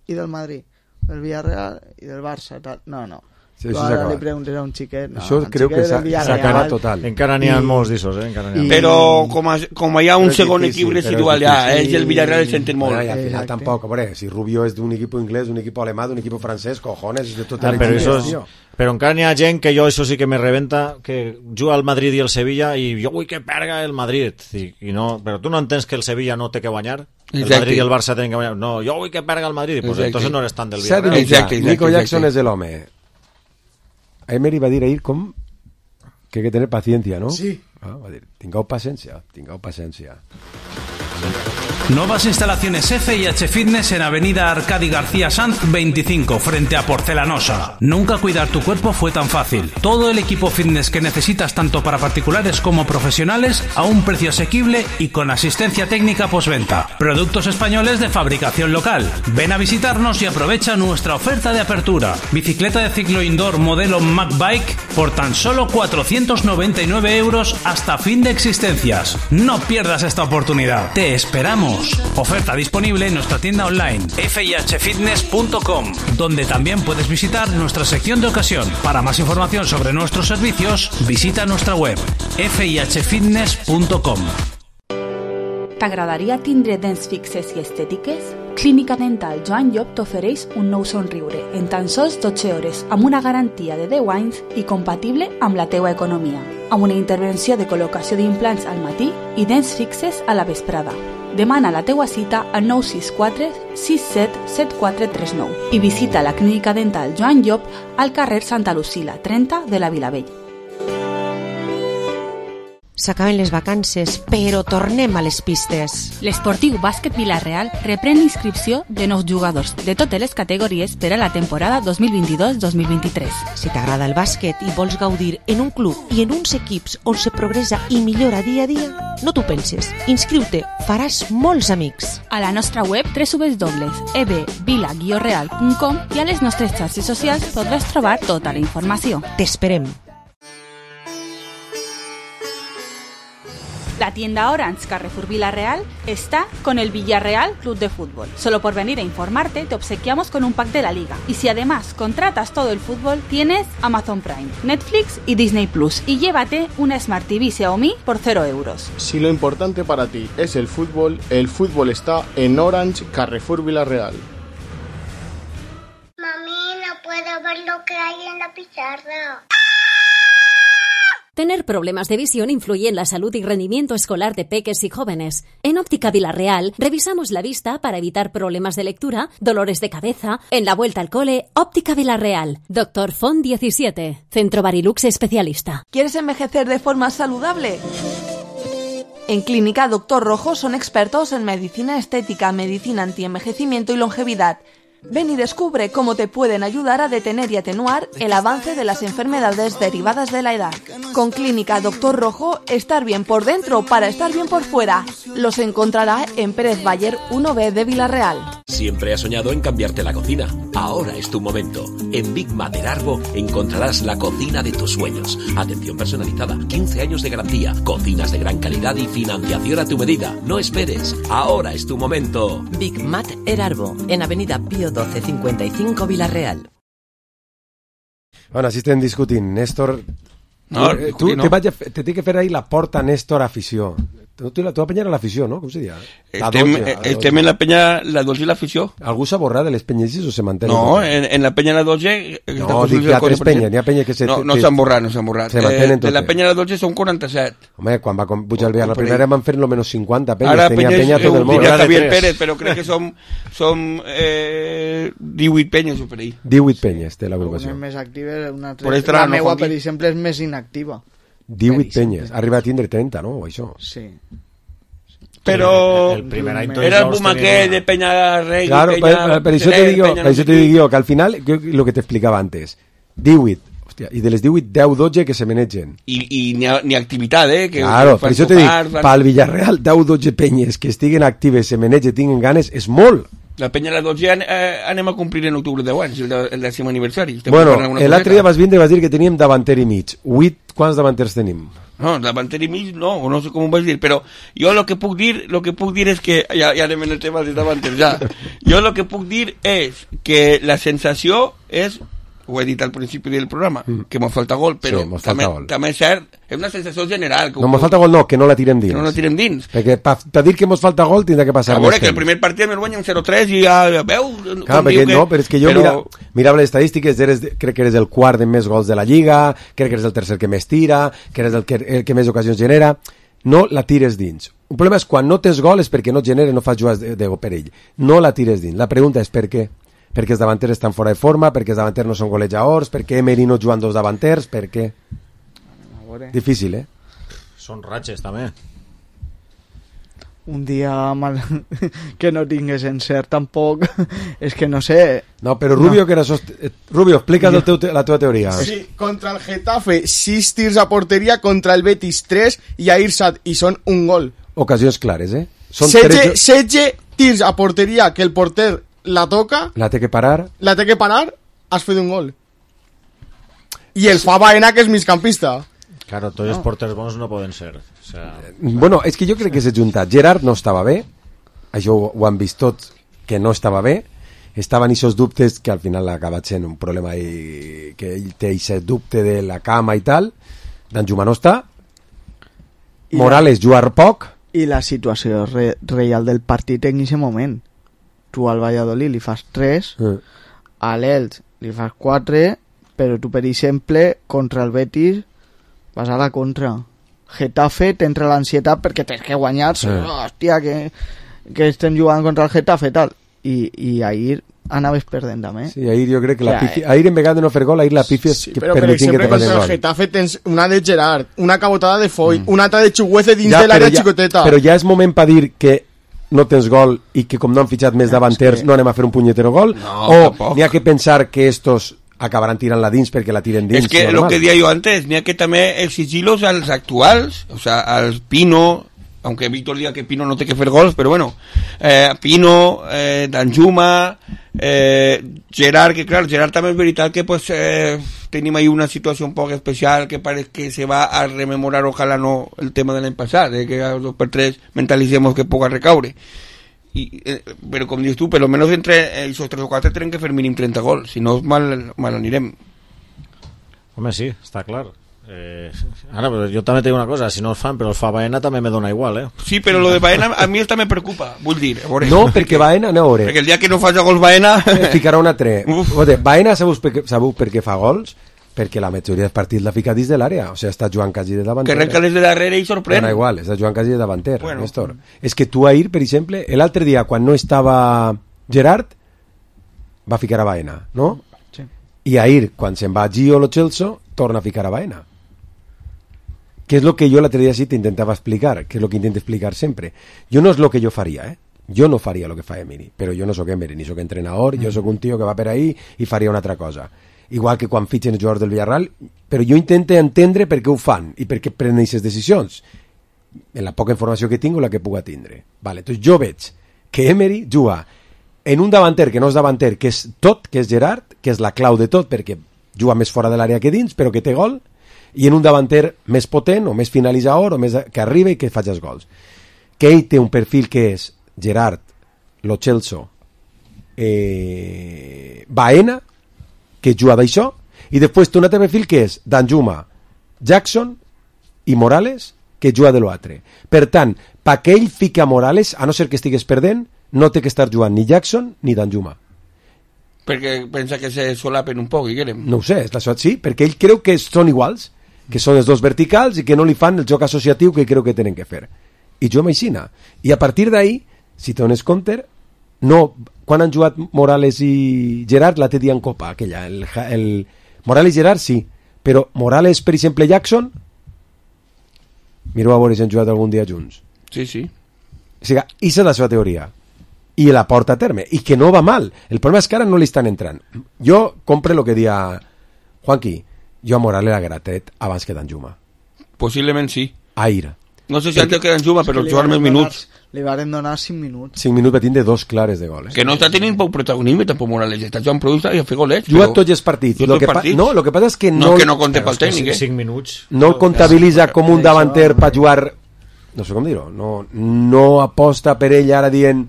i del Madrid, del Villarreal i del Barça, tal. No. Sí, Tu això s'ha ara li acabat. preguntes a un xiquet, no, Això un creu xiquet que del s'ha Villarreal. acabat total. Encara n'hi ha I- molts d'aixòs, Encara n'hi ha. i- Però com hi ha un Però és segon difícil, equip però és residual ja, difícil. és el Villarreal el senten molt. Bueno, y al final Exacte. tampoco, hombre, si Rubio es de un equipo inglés, de un equipo alemán, de un equipo francés, cojones, es de tot el Però, equip, això és, tío. però encara n'hi ha gent que jo això sí que me rebenta, que juga al Madrid i el Sevilla i jo vull que perga el Madrid i no, però tu no entens que el Sevilla no té que guanyar, el Exacte. Madrid i el Barça tenen que guanyar, no, jo vull que perga el Madrid, pues Exacte. entonces no eres tan del S'ha de Villarreal. dir, Exacte, Nico exacte, Jackson exacte. es el home. Emery va dir ahir com que hay que tener paciencia, ¿no? Sí. Va dir, tingueu paciència, tingueu paciència. Nuevas instalaciones F&H Fitness en Avenida Arcadi García Sanz 25, frente a Porcelanosa. Nunca cuidar tu cuerpo fue tan fácil. Todo el equipo fitness que necesitas tanto para particulares como profesionales a un precio asequible y con asistencia técnica postventa. Productos españoles de fabricación local. Ven a visitarnos y aprovecha nuestra oferta de apertura. Bicicleta de ciclo indoor modelo MacBike por tan solo 499 € hasta fin de existencias. No pierdas esta oportunidad. Te esperamos. Oferta disponible en nuestra tienda online fihfitness.com, donde también puedes visitar nuestra sección de ocasión. Para más información sobre nuestros servicios, visita nuestra web fihfitness.com. T'agradaria tindre dents fixes i estètiques? Clínica Dental Joan Llop t'ofereix un nou somriure en tan sols 12 hores amb una garantia de 10 anys i compatible amb la teua economia, amb una intervenció de col·locació d'implants al matí i dents fixes a la vesprada. Demana la teua cita al 964 67 7439 i visita la Clínica Dental Joan Llop al carrer Santa Lucila 30 de la Vilavella. S'acaben les vacances, però tornem a les pistes. L'Esportiu Bàsquet Vila-real reprèn l'inscripció de nous jugadors de totes les categories per a la temporada 2022-2023. Si t'agrada el bàsquet i vols gaudir en un club i en uns equips on se progressa i millora dia a dia, no t'ho penses. Inscriu-te, faràs molts amics. A la nostra web www.ebvila-real.com i a les nostres xarxes socials podràs trobar tota la informació. T'esperem. La tienda Orange Carrefour Villarreal está con el Villarreal Club de Fútbol. Solo por venir a informarte te obsequiamos con un pack de la liga. Y si además contratas todo el fútbol, tienes Amazon Prime, Netflix y Disney Plus. Y llévate una Smart TV Xiaomi por 0 €. Si lo importante para ti es el fútbol está en Orange Carrefour Villarreal. Mami, no puedo ver lo que hay en la pizarra. Tener problemas de visión influye en la salud y rendimiento escolar de peques y jóvenes. En Óptica Villarreal revisamos la vista para evitar problemas de lectura, dolores de cabeza. En la vuelta al cole, Óptica Villarreal. Dr. Font 17. Centro Barilux especialista. ¿Quieres envejecer de forma saludable? En Clínica Dr. Rojo son expertos en medicina estética, medicina antienvejecimiento y longevidad. Ven y descubre cómo te pueden ayudar a detener y atenuar el avance de las enfermedades derivadas de la edad. Con Clínica Dr. Rojo, estar bien por dentro para estar bien por fuera. Los encontrará en Pérez Bayer 1B de Villarreal. Siempre has soñado en cambiarte la cocina. Ahora es tu momento. En Big Mater Arbo encontrarás la cocina de tus sueños. Atención personalizada, 15 años de garantía, cocinas de gran calidad y financiación a tu medida. No esperes. Ahora es tu momento. Big Mater Arbo, en Avenida Pío 1255 Villarreal. Bueno, així estem discutint. Néstor, no, tu no. Te té que fer ahir la porta Néstor afició. Tu la penya era l'afició, no? Com se diria? Estem en la penya, la Dolce i l'afició. Algú s'ha borrat de les penyes o se manté? No, en la penya la Dolce... No, dic que altres penyes, n'hi ha penyes que se... No s'han borrat, no s'han borrat. De la penya la Dolce són 47. Home, quan va pujar el Villar la primera van fer lo menos 50 penyes. Ara penya tot el món. Diria Javier Pérez, però crec que som 18 penyes o per ahí. 18 penyes té l'agrupació. Una més activa, una altra... La meua, per exemple, és més inactiva. 18 penyes, arriba a tindre 30, no? O això. Sí. Però era el boom aquell de Peña Rey. Claro, per això te dic jo que al final, lo que t'explicava antes, 18, hòstia, i de les 18, 10-12 que se manegen. I ni activitat, que claro, per això te dic, pel Villarreal, 10-12 penyes que estiguen actives, se manegen, tinguin ganes, és molt. La penya de la 12 anem a complir en octubre 10 anys, el 10è aniversari. Bueno, l'altre dia vas vindre i vas dir que teníem davanter i mig. 8, quants davanters tenim? No, davanter i mig no sé com ho vas dir, però jo el que puc dir és que, ja anem en el tema de davanter, ja. Jo el que puc dir és que la sensació és, ho he dit al principi del programa, que mos falta gol, però sí, també és cert, és una sensació general. No mos falta gol, no, que no la tirem dins. Que no la tirem dins. Perquè per dir que mos falta gol tindrà que passar més temps. Que el primer partit me guanya un 0-3 i ja veu... Clar, perquè no, però és que jo mirava les estadístiques, crec que eres el quart de més gols de la Lliga, crec que eres el tercer que més tira, que eres el que més ocasions genera, no la tires dins. Un problema és quan no tens gol és perquè no genera, no fas jugades de perill. No la tires dins. La pregunta és per què? Perquè els davanters estan fora de forma, perquè els davanters no són golejadors, perquè Emery no juguen dos davanters, per què? Difícil, Són ratxes, també. un dia mal que no tingués encert tampoc, és que no sé. No, però Rubio, que era Rubio, explica't la teva teoria. Sí, contra el Getafe 6 tirs a porteria, contra el Betis 3 i a Irsat, i són un gol. Ocasions clares, eh? 16 tirs a porteria que el porter la toca, la té que parar, has fet un gol. I el fa Baena, que és migcampista. Claro, tots els porters bons no poden ser. O sea... Bueno, és que jo crec que s'ha juntat. Gerard no estava bé, això ho han vist tots, que no estava bé. Estaven aquests dubtes que al final ha acabat sent un problema i que ell té aquest dubte de la cama i tal. Danjuma no està. Morales jugar poc. I la situació real del partit en aquest moment. Tu al Valladolid li fas 3, a l'Elx li fas 4, però tu, per exemple, contra el Betis vas a la contra. Getafe t'entra l'ansietat perquè tens que guanyar, hòstia, que estem jugant contra el Getafe tal. I ahir anaves perdent també. Sí, ahir jo crec que ahir en vegada de no fer gol, ahir la pifia sí, però per exemple contra el Getafe tens una de Gerard, una cabotada de Foy, una altra de Chuguece dins de l'àrea xicoteta. Però ja és moment per dir que no tens gol i que com no han fitxat més davanters no anem a fer un punyetero gol, o n'hi ha que pensar que estos acabaran tirant la dins perquè la tiren dins. És que el que deia jo antes, n'hi ha que també exigir-los als actuals, o sea, als Pino, aunque Víctor diga que Pino no té que fer gols, però bueno, Pino, Danjuma, Gerard, que clar, Gerard també és veritat que pues tenim ahí una situació un poc especial que parece que se va a rememorar, ojalá no, el tema de l'any passat, que a 2x3 mentalicemos que poca recaure. Però com dius tu, per lo menos entre esos 3 o 4 tenen que fer mínim 30 gols, si no mal anirem. Home, sí, està clar. Ara, però jo també tinc una cosa, si no el fan, però el fa Baena també me dona igual, Sí, però lo de Baena a mi esta me preocupa, vull dir. No, perquè Baena, no, perquè el dia que no faci gols Baena... Ficarà un altre. Baena sabeu per què fa gols? Perquè la majoria dels partits l'ha ficat dins de l'àrea, o sigui, està jugant quasi de davanter. Que arrenca des de darrere i sorprèn. Bueno, igual, està jugant quasi de davanter, Néstor. És que tu ahir, per exemple, l'altre dia, quan no estava Gerard, va ficar a Baena, no? Sí. I ahir, quan se'n va Gio Lo Celso, torna a ficar a Baena. Que és el que jo l'altre dia sí t'intentava explicar, que és el que intento explicar sempre. Jo no és el que jo faria, Jo no faria el que fa Emery, però jo no sóc Emery, ni sóc entrenador, jo sóc un tio que va per ahí i faria una altra cosa. Igual que quan fitxen els jugadors del Villarreal, però jo intento entendre per què ho fan i per què prenen aquestes decisions, en la poca informació que tinc o la que puga tindre. Vale, doncs jo veig que Emery juga en un davanter que no és davanter, que és tot, que és Gerard, que és la clau de tot, perquè juga més fora de l'àrea que dins, però que té gol, i en un davanter més potent, o més finalitzador, o més que arriba i que faci els gols. Que ell té un perfil que és Gerard, Lo Celso, Baena, que juga d'això, i després té un altre perfil que és Danjuma, Jackson i Morales, que juga de l'altre. Per tant, perquè ell fica Morales, a no ser que estigués perdent, no té que estar jugant ni Jackson ni Danjuma. Perquè pensa que se solapen un poc, no ho sé, sí, perquè ell creu que són iguals, que són els dos verticals i que no li fan el joc associatiu que creu que tenen que fer. I jo m'aixina. I a partir d'ahí, si te dones compte, no, quan han jugat Morales i Gerard la té dia en Copa, aquella, el Morales i Gerard sí, però Morales, per exemple, Jackson, mireu a veure si han jugat algun dia junts. Sí, sí. O sigui, aquesta és la seva teoria. I la porta a terme. I que no va mal. El problema és que ara no li estan entrant. Jo compre el que dia Juanqui. Jo a Morales l'haguera tret abans que Danjuma. Possiblement sí. Ahir. No sé si antes que Danjuma, però jugar més minuts. Li van donar 5 minuts. 5 minuts va tindre 2 clares de gol. Que no està tenint poc protagonisme tampoc Morales. Està jugant producte i a fer golets. Juga tots els partits. Lo que passa és que no... que no compte pel tècnic, 5 minuts. No el comptabilitza com un davanter per jugar... No sé com dir-ho. No aposta per ell ara dient...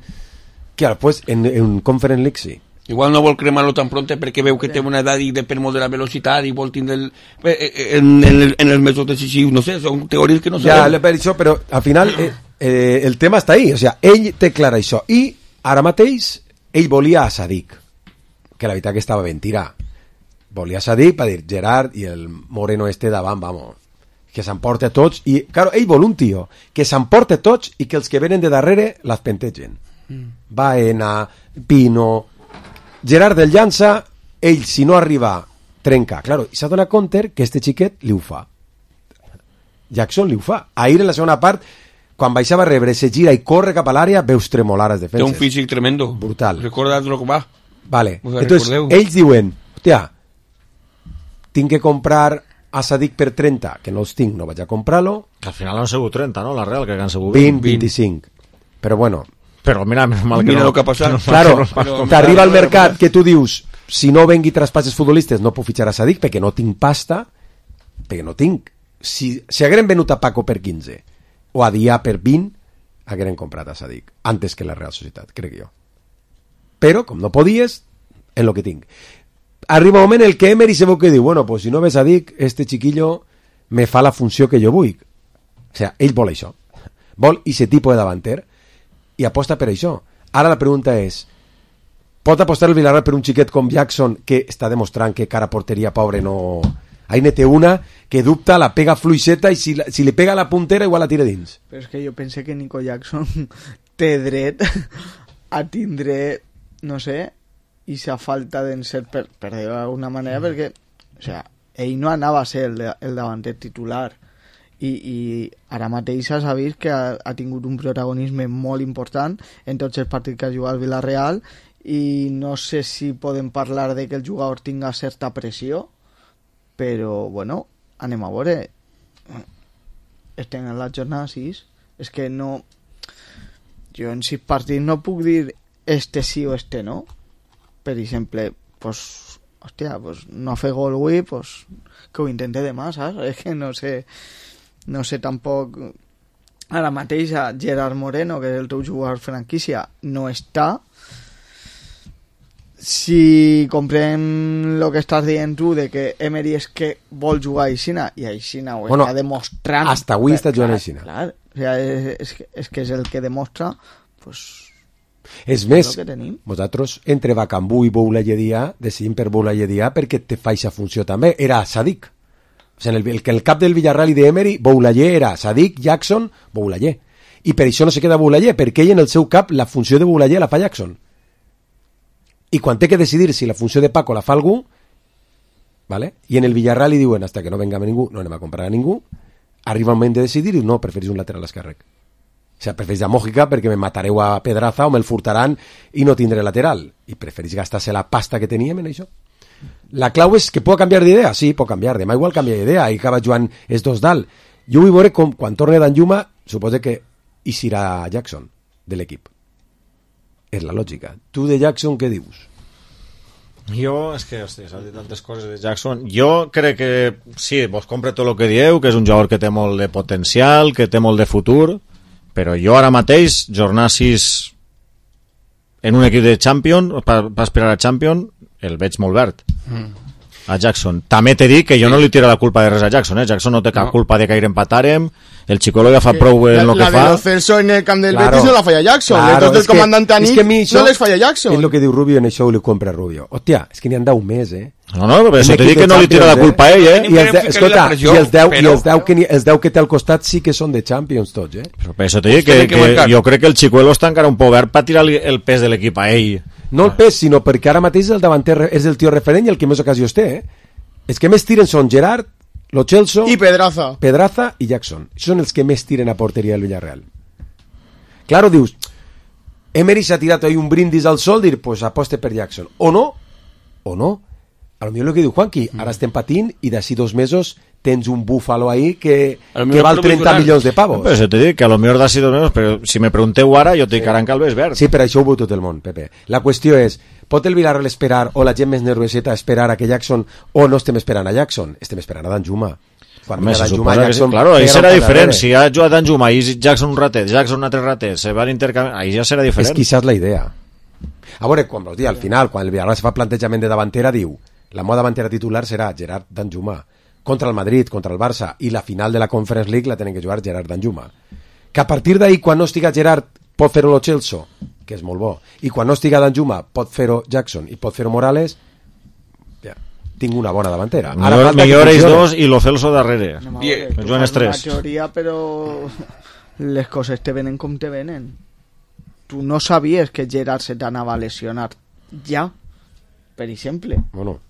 Que ara, pues, en Conference League sí. Igual no vol cremar-lo tan pronte perquè veu que té una edat i depèn molt de la velocitat i vol tindre en els mesos decisius, no sé, són teories que no sabem. Ja, per això, però al final el tema està ahí, o sea, ell té clar això, i ara mateix ell volia a Sadik, que la veritat que estava ben tirar. Volia a Sadik per dir Gerard i el moreno davant, vamos, que s'emporta tots, i claro, ell vol un tio que s'emporta tots i que els que venen de darrere les pentegen. Baena, Pino, Gerard del llança, ell si no arriba trenca, claro, i s'ha donat compte que este xiquet li ho fa. Jackson li ho fa. Ahir en la segona part quan baixava a rebre, se gira i corre cap a l'àrea, veus tremolar les defenses. Té un físic tremendo. Brutal. Recorda Drogba. Vale. Entonces, ells diuen, hòstia, tinc que comprar a Sadik per 30, que no els tinc, no vaig a comprar-lo. Que al final han sigut 30, no? La Real, que han sigut 20, 25. Però bueno. Però mira, mal que mira no. Lo que ha passat. Claro, t'arriba al mercat que tu dius, si no vengui traspasses futbolistes no puc fitxar a Sadik perquè no tinc pasta, perquè no tinc. Si hagueren venut a Paco per 15 o a Dià per 20, hagueren comprat a Sadik antes que la Real Societat, crec jo. Però, com no podies, en lo que tinc. Arriba un moment el que Emery se veu que diu, bueno, pues si no ves Sadik, este chiquillo me fa la funció que jo vull. O sea, ell vol això. Vol ese tipus de davanter i aposta per això. Ara la pregunta és, pot apostar el Villarreal per un xiquet com Jackson que està demostrant que cara porteria pobre no... Ahí ne té una que dubta, la pega fluixeta i si li pega a la puntera igual la tira dins. Però és que jo pense que Nico Jackson té dret a tindre, no sé, i sa falta d'encert per dir-ho d'alguna manera, perquè o sea, ell no anava a ser el davanter titular i ara mateix s'ha vist que ha tingut un protagonisme molt important en tots els partits que ha jugat al Villarreal i no sé si podem parlar de que el jugador tinga certa pressió, però bueno, anem a veure. Estem en la jornada 6, és que no, jo en 6 partits no puc dir este sí o este no. Per exemple, pues, hòstia, pues no ha fet gol avui, pues que ho intente demà, saps? És que no sé tampoc. Ara mateix a Gerard Moreno, que és el teu jugador franquícia, no està. Si comprem el que estàs dient tu de que Emery és que vol jugar a Aixina, i Aixina ho està demostrant. Hasta avui està jugant a Aixina. Clar, o sigui, és que és el que demostra, pues, és més, vosaltres entre Bacambú i Boulaye-Dia decidim per Boulaye-Dia perquè te fa aquesta funció també. Era Sadik. O sigui, el cap del Villarreal i d'Emery, Boulaye era Sadik, Jackson, Boulaye. I per això no se queda Boulaye, perquè ell en el seu cap la funció de Boulaye la fa Jackson. I quan té que decidir si la funció de Paco la fa algú, ¿vale? I en el Villarreal li diuen hasta que no venga ningú, no anem a comprar a ningú, arriba el moment de decidir i no, preferís un lateral esquerrec. O sigui, preferís a Mójica perquè me matareu a Pedraza o me'l furtaran i no tindré lateral. I preferís gastar-se la pasta que teníem en això. La clau és que pot canviar d'idea? Sí, pot canviar. Demà igual canvia d'idea i acaba jugant els dos dalt. Jo vull veure com, quan torni Danjuma, suposo que hi serà Jackson de l'equip. És la lògica. Tu de Jackson què dius? Jo, és que, hòstia, s'ha dit tantes coses de Jackson. Jo crec que sí, vos compre tot el que dieu, que és un jugador que té molt de potencial, que té molt de futur, però jo ara mateix, jornada 6 en un equip de Champion, per aspirar a Champion, el veig molt verd. A Jackson. També t'he dit que jo no li tiro la culpa de res a Jackson, Jackson no té cap culpa de que ahir empatàrem, el Xicolo ja fa prou en el que fa. La de Lo Celso en el camp del Betis no la falla Jackson, los del comandante Anís no les falla Jackson. És el que diu Rubio, en això ho li compra Rubio. Hòstia, és que n'hi han 10 més, No, però això t'he dit que no li tira la culpa a ell, Escolta, i els 10 que té al costat sí que són de Champions tots, Però per això t'he dit que jo crec que el Xicolo està encara un poc verd per tirar el pes de l'equip a ell. No el pes, sinó perquè ara mateix el davanter és el tio referent i el que més ocasions té, Els que més tiren són Gerard, Lo Celso i Pedraza i Jackson. Són els que més tiren a porteria del Villarreal. Claro, dius, Emery s'ha tirat ahí un brindis al sol, dir, pues aposte per Jackson. O no. A lo millor el que diu Juanqui, ara estem patint i d'ací 2 mesos tens un búfalo ahí que val 30 milions de pavos. Però això t'he dit que a lo millor d'ací 2 mesos, però si me pregunteu ara, jo t'he dit que ara en Calves verd. Sí, per això ho veu tot el món, Pepe. La qüestió és, pot el Villarreal esperar, o la gent més nervioseta esperar a que Jackson, o no estem esperant a Jackson? Estem esperant a Danjuma. Home, se suposa Jackson, que sí. Claro, ahí serà diferent. Si ha jugat Danjuma i Jackson un ratet, Jackson un altre ratet, se van intercanviar, ahí ja serà diferent. És quizás la idea. A veure, al final, quan el Villarreal se fa plantejament de davantera, diu, la moda davantera titular serà Gerard Danjuma. Contra el Madrid, contra el Barça, i la final de la Conference League la tenen que jugar Gerard Danjuma. Que a partir d'ahí, quan no estiga Gerard, pot fer-ho Lo Celso, que és molt bo, i quan no estiga Danjuma, pot fer-ho Jackson i pot fer-ho Morales, ja, tinc una bona davantera. Millor ells dos i Lo Celso darrere. Joan Estrès. La teoria, però les coses te venen com te venen. Tu no sabies que Gerard se t'anava a lesionar ja, per exemple. Bueno,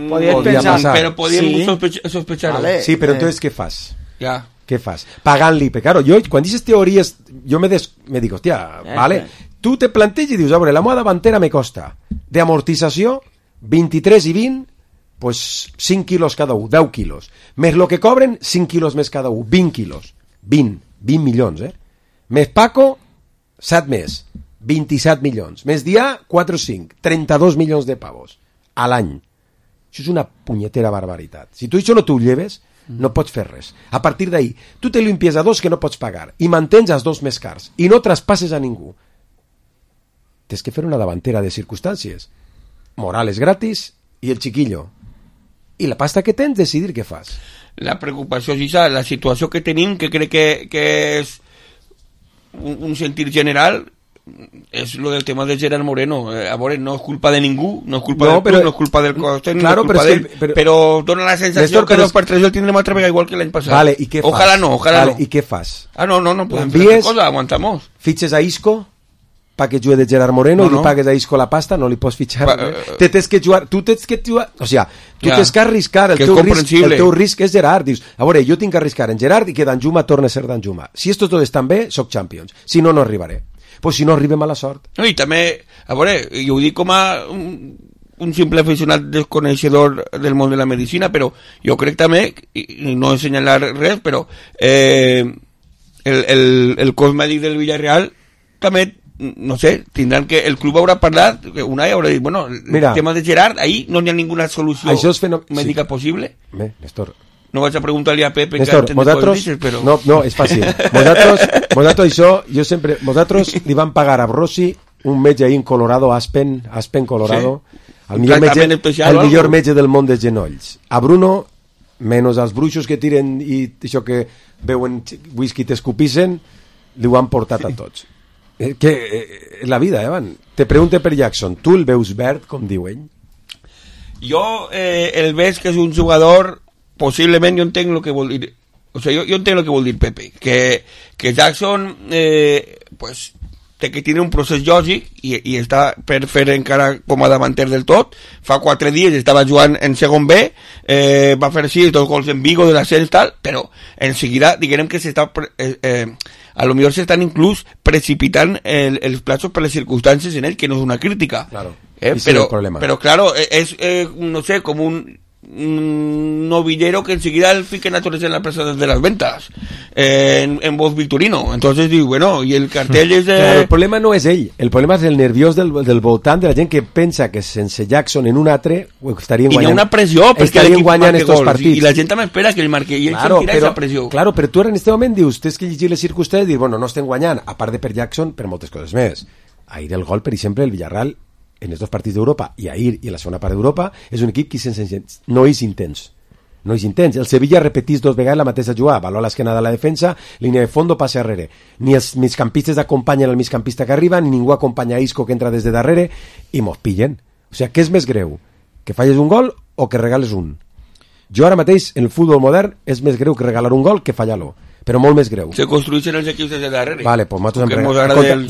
podías pensar, pero podíamos sospechar. Vale, sí, pero entonces ¿qué fas? Ya. què fas? Pagant-li, perquè claro, jo quan dices teories, jo me dic, hòstia, vale, tu te planteges i dius, a veure, la meva davantera me costa d'amortització 23 i 20, pues 5 quilos cada un, 10 quilos. Més lo que cobren, 5 quilos més cada un, 20 quilos. 20 milions, Més Paco, 7 més, 27 milions. Més Dià, 4 o 5, 32 milions de pavos a l'any. Això és una punyetera barbaritat. Si tu això no t'ho lleves, no pots fer res. A partir d'ahí, tu te limpies a dos que no pots pagar i mantens els dos més cars i no traspasses a ningú. Tens que fer una davantera de circumstàncies. Morales gratis i el chiquillo. I la pasta que tens, decidir què fas. La preocupació és la situació que tenim, que crec que és un sentir general, és lo del tema de Gerard Moreno. A veure, no és culpa de ningú, no és culpa del club, no és culpa del cos tècnic, claro, no és culpa d'ell, però dona la sensació Néstor, que 2x3 el tindrem altra vegada igual que l'any passat. Vale, ¿y qué ojalá fas? No, ojalá vale, no. ¿Y qué fas? No podem fer cosa, aguantamos. Fitxes a Isco para que juegue de Gerard Moreno i li pagues a Isco la pasta, no li pots fitxar. Tu tens que jugar, o sea, tu tens que arriscar, el teu risc és Gerard. Dius, a veure, jo tinc que arriscar en Gerard i que Danjuma torni a ser Danjuma. Si estos dos estan bé, soc Champions. Si no, no arribaré. Pues si no arribem a la sort. No, i també, a veure, jo ho dic com a un simple aficionat desconeixedor del món de la medicina, però jo crec també, i no assenyalar res, però el cos mèdic del Villarreal també, no sé, tindran que el club haurà parlat, Unai haurà dit, bueno, el tema de Gerard, ahí no hi ha ninguna solució mèdica possible. Néstor, no vaig a preguntar-li a Pepe Néstor, vosaltres, però... no, és fàcil. Vosaltres això, jo sempre, vosaltres li van pagar a Rossi un metge ahí en Colorado, Aspen, Colorado, el millor metge del món de genolls. A Bruno, menys els bruixos que tiren i això que veuen whisky t'escupissen, li ho han portat a tots. Que la vida, Van. Te pregunte per Jackson, tu el veus verd, com diuen? Jo el veig que és un jugador, possiblement jo entenc el que vol dir, o sigui, jo entenc el que vol dir Pepe, que Jackson pues té que tenir un procés lògic i està per fer encara com a davanter del tot. Fa 4 dies estava jugant en segon B, va fer 6 gols en Vigo de l'ascens tal, però en seguida diguem que s'està a lo millor s'estan inclús precipitant els plazos per les circumstàncies en ell, que no és una crítica, claro. Però claro, és no sé, com un novillero que enseguida el fiquen a todos en la plaza de las ventas en voz Victorino. Entonces digo, bueno, y el cartel es claro, el problema no és ell, el problema és el nerviós del voltant de la gent que pensa que sense Jackson en un altre estarien guanyant. I hi ha una pressió perquè l'equip marque gols i la gent també espera que el marque i ell sentirà aquesta pressió. Claro, però tu en aquest moment dius, tens que llegir les circumstàncies i dir, bueno, no estem guanyant, a part de per Jackson, per moltes coses més. Ahir el gol, per exemple, el Villarreal en els dos partits d'Europa i ahir i en la segona part d'Europa és un equip que no és intens. El Sevilla repetís 2 vegades la mateixa jugada, valor a l'esquena de la defensa, línia de fondo, passe darrere. Ni els migcampistes acompanyen el migcampista que arriba, ni ningú acompanya a Isco que entra des de darrere i mos pillen. O sigui, què és més greu? Que falles un gol o que regales un? Jo ara mateix, en el futbol modern, és més greu que regalar un gol que fallar-lo. Però molt més greu. Se construeixen els equips des de darrere. Vale, pues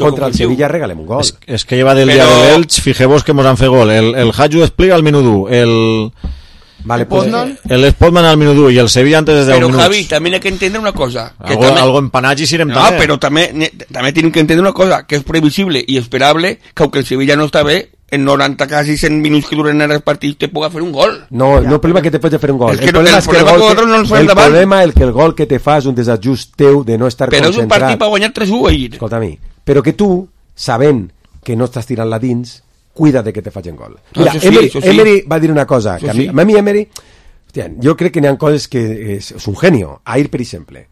contra el Sevilla regalem un gol. Es que lleva del día del Elche, fijemos que hemos han fet gol. El Haju despliega al minut 1, el Spotman al minut 1 i el Sevilla antes de 10 minuts. Però Javi, també hay que entender una cosa. Algo empanatge si no, també. Però també tenim que entendre una cosa, que és previsible i esperable que aunque el Sevilla no està bé, en 90 quasi 100 minuts que duren els partits te puga fer un gol. No, el problema que te pots fer un gol. El problema és que el gol que te fa és un desajust teu de no estar però concentrat. Però és un partit per guanyar 3-1 ahir. Escolta-mi, però que tu, sabent que no estàs tirant-la dins, cuida de que te facin gol. Mira, Emery va dir una cosa, que a mi Emery, hòstia, jo crec que n'hi ha coses que és un genio. Ahir, per exemple,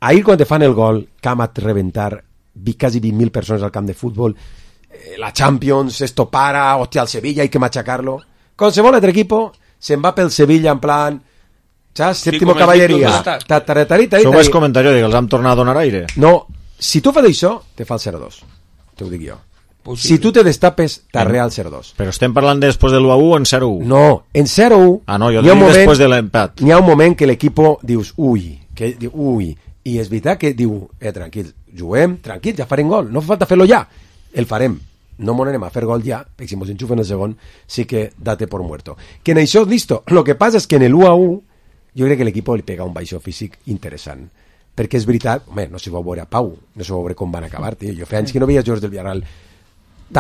ahir quan te fan el gol, Camat reventar quasi 20.000 persones al camp de futbol, la Champions, esto para, hostia, al Sevilla hay que machacarlo. Qualsevol altre equipo se'n va pel Sevilla en plan, saps? Séptimo caballeria. Això és comentari, els han tornat a donar aire. No, si tu fas això, te fa el 0-2. Te ho dic jo. Possible. Si tu te destapes, t'arrea el 0-2. Però estem parlant després de l'1-1 en 0-1. No, en 0-1... Ah, no, jo dic després de l'empat. N'hi ha un moment que l'equipo dius, ui, i és veritat que diu, tranquil, juguem, tranquil, ja farem gol, no fa falta fer-lo ja. El farem, no m'ho anem a fer gol ja, perquè si mos enxufen el segon sí que date por muerto. Que en això és listo. Lo que passa és que en el 1-1 jo crec que l'equip li pega un baixó físic interessant. Perquè és veritat, home, no s'hi va veure a Pau, no s'hi va veure com van acabar, tio. Jo feia anys que no veia jugadors del Villarreal.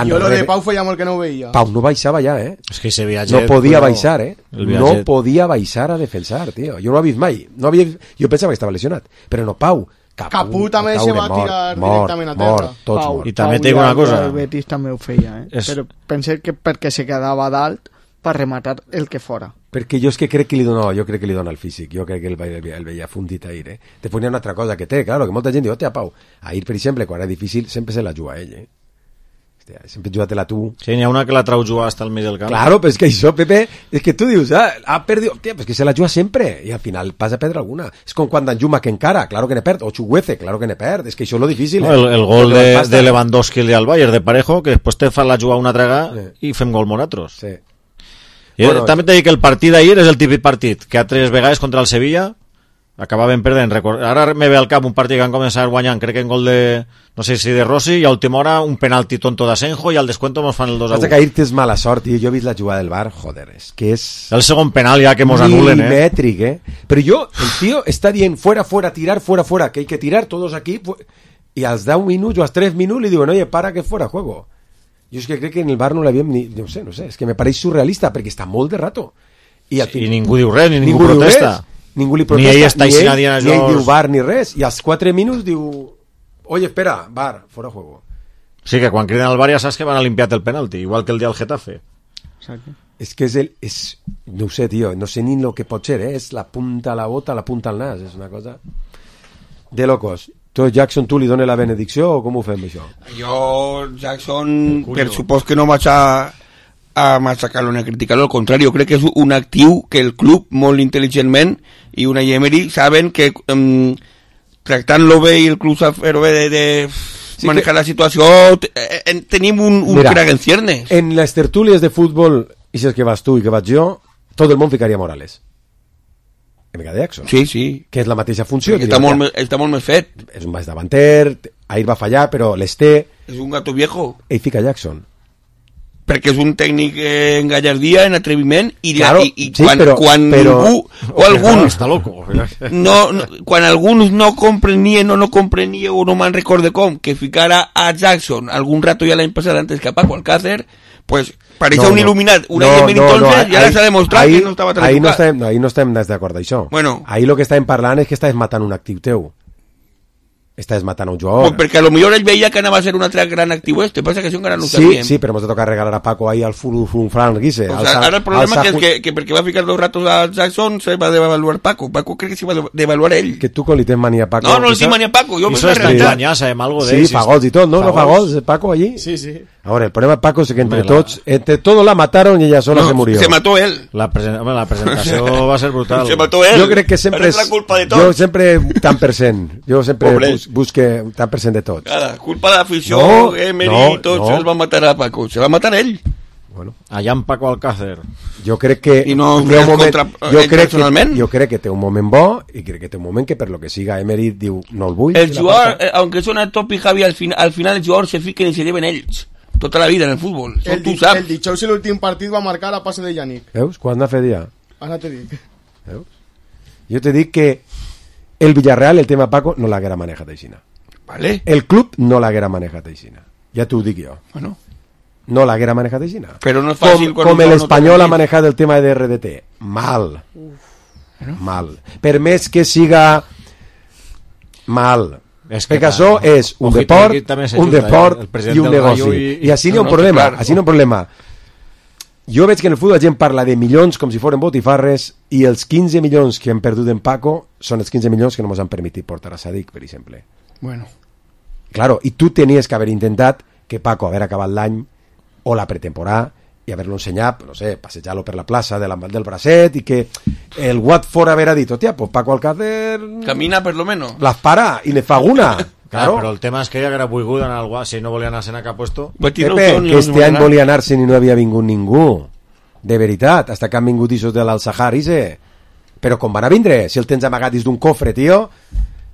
Jo lo de Pau feia molt que no ho veia. Pau no baixava ja, És que ese viatge... No podia baixar, No podia baixar a defensar, tio. Jo no l'he vist mai. Jo pensava que estava lesionat. Però no, Pau. Capú també se va tirar directament a terra. Tots I també té una cosa. El Betis també ho feia, Però pensé que perquè se quedava dalt per rematar el que fora. Perquè jo és que crec que li dona el físic, jo crec que el veia fundit ahir, Te ponia una altra cosa que té, claro, que molta gent diu, hòstia, Pau, ahir, per exemple, quan era difícil, sempre se la juga ell, Hòstia, sempre juga-te-la tu. Sí, n'hi ha una que la trau jugar hasta el mig del camp. Claro, però és que això, Pepe, és que tu dius, ha perdut, hòstia, pues que se la juga sempre, i al final vas a perdre alguna. És com quan Danjuma que encara, claro que ne perd, o Chuguece, claro que ne perd, és que això és lo difícil. No, el gol de Lewandowski al Bayern de Parejo, que després te fa la jugar una traga i fem gol nosaltres. Sí. Bueno, també t'he dit que el partit d'ahir és el típic partit que a 3 vegades contra el Sevilla acabaven perdent. Ara me ve al cap un partit que han començat guanyant, crec que en gol de, no sé si de Rossi, i a última hora un penalti tonto d'Asenjo i al descuento mos fan el 2-1. Passa que ahir tens mala sort, jo he vist la jugada del Bar, joder, és que és... El segon penal ja que mos anulen, Milimètric, Però el tío està dient fuera, tirar, fuera, que hay que tirar todos aquí, i als 10 minuts o als 3 minuts li diuen, oye, para que fuera juego. Jo és que crec que en el Bar no l'havíem ni... No sé, és que me pareix surrealista, perquè està molt de rato. I ningú diu res, ni ningú protesta. Ningú li protesta, ni ell està així nadie ni ell diu Bar ni res, i als 4 minuts diu, oye, espera, Bar, fora juego. Sí, que quan criden al Bar ja saps que van a limpiar el penalti, igual que el dia del Getafe. Exacte. És que no ho sé, tio, no sé ni lo que pot ser, és la punta a la bota, la punta al nas, és una cosa de locos. Tu, Jackson, tu li dones la benedicció o com ho fem, això? Jo, Jackson, per supòs que no vaig a machacar-lo ni a criticar-lo, al contrari, jo crec que és un actiu que el club, molt intel·ligentment, i una Emery, saben que tractant-lo bé i el club fer-ho bé de manejar la situació, tenim un crack en ciernes. En les tertúlies de futbol, i si és que vas tu i que vaig jo, tot el món ficaria Morales. En de Jackson. Sí. Que és la mateixa funció. Està molt més fet. És un baix davanter, ahir va fallar, però l'Esté... És un gato viejo. Ell fica Jackson. Perquè és un tècnic en gallardia, en atreviment, i quan ningú o alguns... Està loco. Quan alguns no comprenien o no me'n recorde com, que ficara a Jackson algun rato ja l'any passat antes que a Paco Alcácer, pues pareixia un il·luminat, una Emery entonces, i ara s'ha demostrat que no estava tan equivocat. Ahir no estem d'acord d'això. Bueno. Ahir el que estàvem parlant és que estàs matant un actiu teu. Estàs matant un jugador. Pues perquè a lo millor ell veia que anava a ser un altre gran actiu passa que això encara no ho sabíem. Sí, però ens ha tocat regalar a Paco ahir al Fran Guise. Ara el problema és que perquè va ficar 2 ratos a Jackson se va devaluar Paco. Paco crec que s'hi va devaluar ell. Que tu com li tens mania a Paco. No li tinc mania a Paco. Això està engañat, sabem algo d'ell. Sí, fa gols i tot, no? No fa gols Paco allí? Sí. Ahora, el problema de Paco es que entre todos la mataron y ella sola se murió. Se mató él. La presentació va ser brutal. Se mató él. Jo crec que sempre és la culpa de tots. Jo sempre tant %. Jo sempre busque tant % de tots. Cada culpa de l'afició, Emery, tots els van matar a Paco. Se va matar ell. Bueno, allà en Paco Alcácer. Jo crec que i no jo crec que té un moment bo i crec que té un moment que per lo que siga Emery diu no el vull. El jugador, aunque suena top y Javi, al final el jugador se fiquen y se lleven ells. Tota la vida en el futbol. El Dijous i l'últim partit va marcar a passe de Yannick. Veus? Quan ha fet ja? Ara te dic. Veus? Jo te dic que el Villarreal, el tema Paco, no l'haguera manejat aixina. Vale. El club no l'haguera manejat aixina. Ja t'ho dic jo. Bueno. No l'haguera manejat aixina. Però no és fàcil... Com l'Espanyol ha manejat el tema de RDT. Mal. Mal. Per més que siga mal... perquè això és un deport i un negoci i així n'hi ha un problema, jo veig que en el futbol la gent parla de milions com si foren botifarres i els 15 milions que hem perdut en Paco són els 15 milions que no ens han permitit portar a Sadik, per exemple. Bueno. Claro, i tu tenies que haver intentat que Paco haver acabat l'any o la pretemporada i haver-lo ensenyat, no sé, passejar-lo per la plaça del bracet i que el Watford haver dit, hòstia, pues Paco Alcácer... Camina per lo menos. Las para i ne fa una. Claro. Però el tema és que ella era volgut anar al Watford, si no volia anar-se'n a cap puesto. Pepe, que este any volia anar-se'n i no havia vingut ningú. De veritat, hasta que han vingut ixos de l'Al-Sahar, però com van a vindre? Si el tens amagat dins d'un cofre, tio...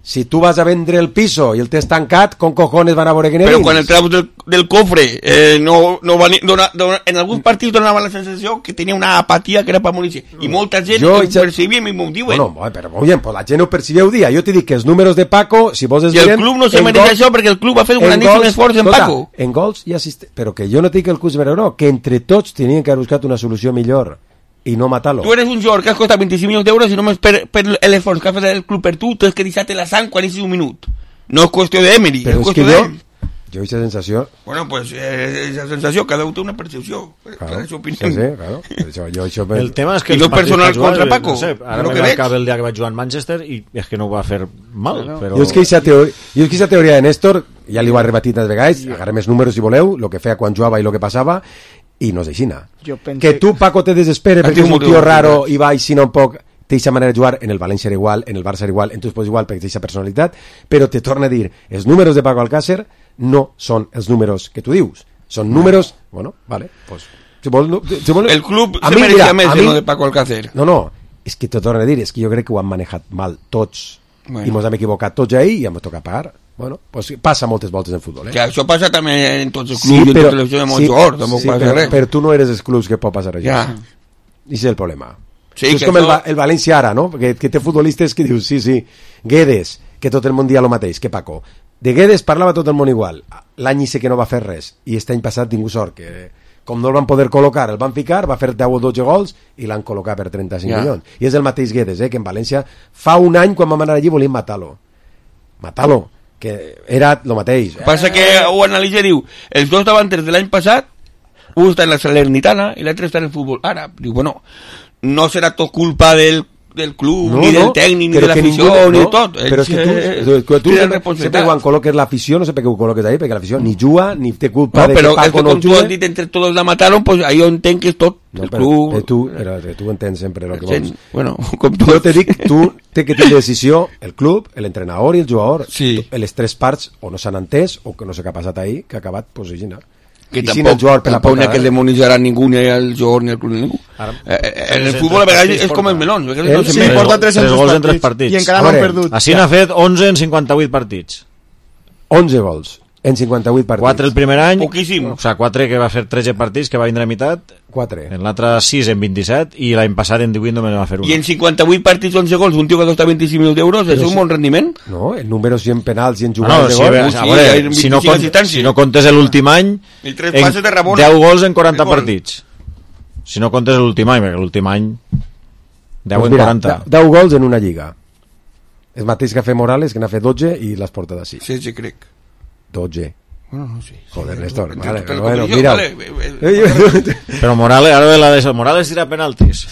Si tu vas a vendre el piso i el tens tancat, con cojones van a veure que Però quan el treus del cofre, en alguns partits donava la sensació que tenia una apatia que era per morir. I molta gent ho percibia i m'ho diuen. Bueno, però molt bé, pues la gent ho percibia un dia. Jo t'he dit que els números de Paco, si vos es I el club no se mereix això perquè el club ha fet un grandíssim esforç en Paco. En gols i assistents. Però que jo no t'he dit que el club és no, que entre tots tenien que haver buscat una solució millor i no matar-lo. Tu eres un jugador que has costat 25 milions d'euros i només per l'esforç que ha fet el club per tu, tens que deixar-te la sang quan és un minut. No és qüestió d'Emery, és qüestió d'ell. Jo aquesta sensació... Bueno, pues esa sensació, cada un té una percepció. Claro, sí, claro. El tema és que i no personal contra Paco. No sé, ara me va acabar el dia que vaig jugar en Manchester i és que no ho va fer mal. Però... Jo és que aquesta teoria de Néstor, ja li ho ha rebatit tantes vegades, agarrem els números si voleu, el que feia quan jugava i el que passava, i no és aixina. Que tu, Paco, te desespere perquè és un tio raro i va aixina un poc, té aquesta manera de jugar, en el València era igual, en el Barça era igual, en tu es pots igual perquè té aquesta personalitat, però te torna a dir, els números de Paco Alcácer no són els números que tu dius, són números, bueno, vale, pues, si vol, el club se mereixia més de lo de Paco Alcácer. No, és que te torna a dir, és que jo crec que ho han manejat mal tots, i ens hem equivocat tots ahir i hem tocat pagar. Bueno, pues passa moltes voltes en futbol, Que això passa també en tots els clubs i en tota la televisió de molts jugadors, tampoc passa res. Però tu no eres els clubs que pot passar això. Ja. I és el problema. Sí, és com el València ara, no? Que té futbolistes que dius, sí, Guedes, que tot el món dia el mateix, que Paco. De Guedes parlava tot el món igual. L'any sé que no va fer res. I aquest any passat tingut sort, que com no el van poder col·locar, el van ficar, va fer 10 o 12 gols i l'han col·locat per 35 milions. I és el mateix Guedes, que en València fa un any quan vam anar allí volien matar-lo. Que era el mateix. Passa que ho analitza i diu, els dos davanters de l'any passat, un està en la Salernitana i l'altre està en el futbol àrab. Diu, bueno, no serà tot culpa del club, ni del tècnic, ni de l'afició, ni de tot. Però és que tu sempre quan col·loques l'afició, no sé per què ho col·loques ahí, perquè l'afició ni juga, ni té culpa de que Paco no juga. Però com tu has dit, entre tots la mataron, pues ahí jo entenc que és tot el club. Tu entens sempre el que vols. Bueno, jo te dic, tu té que tenir decisió el club, l'entrenador i el jugador. Les tres parts o no s'han entès o que no sé què ha passat ahir, que ha acabat posicionar. Que tampoc n'hi ha que demonitzar a ningú, ni al jugador, ni al club, ni ningú. En el futbol a vegades és com els melons. Sí, porta 3 gols en 3 partits. I encara no han perdut. Així n'ha fet 11 en 58 partits. 11 gols en 58 partits. 4 el primer any. Poquíssim. O sigui, 4 que va fer 13 partits, que va vindre a meitat. 4. En l'altre 6 en 27 i l'any passat en 18 només va fer 1. I en 58 partits 11 gols, un tio que costa 25 milions d'euros, és un bon rendiment? No, en números i en penals i en jugades de gol. Si no comptes l'últim any, 10 gols en 40 partits. Si no comptes l'últim any, perquè l'últim any 10 en 40. 10 gols en una lliga. És mateix que ha fet Morales, que n'ha fet 12 i l'has portat així. Sí, crec. 12. Bueno, no sé. Joder, Néstor, bueno, mira. Però Morales, ara Morales tira penaltis.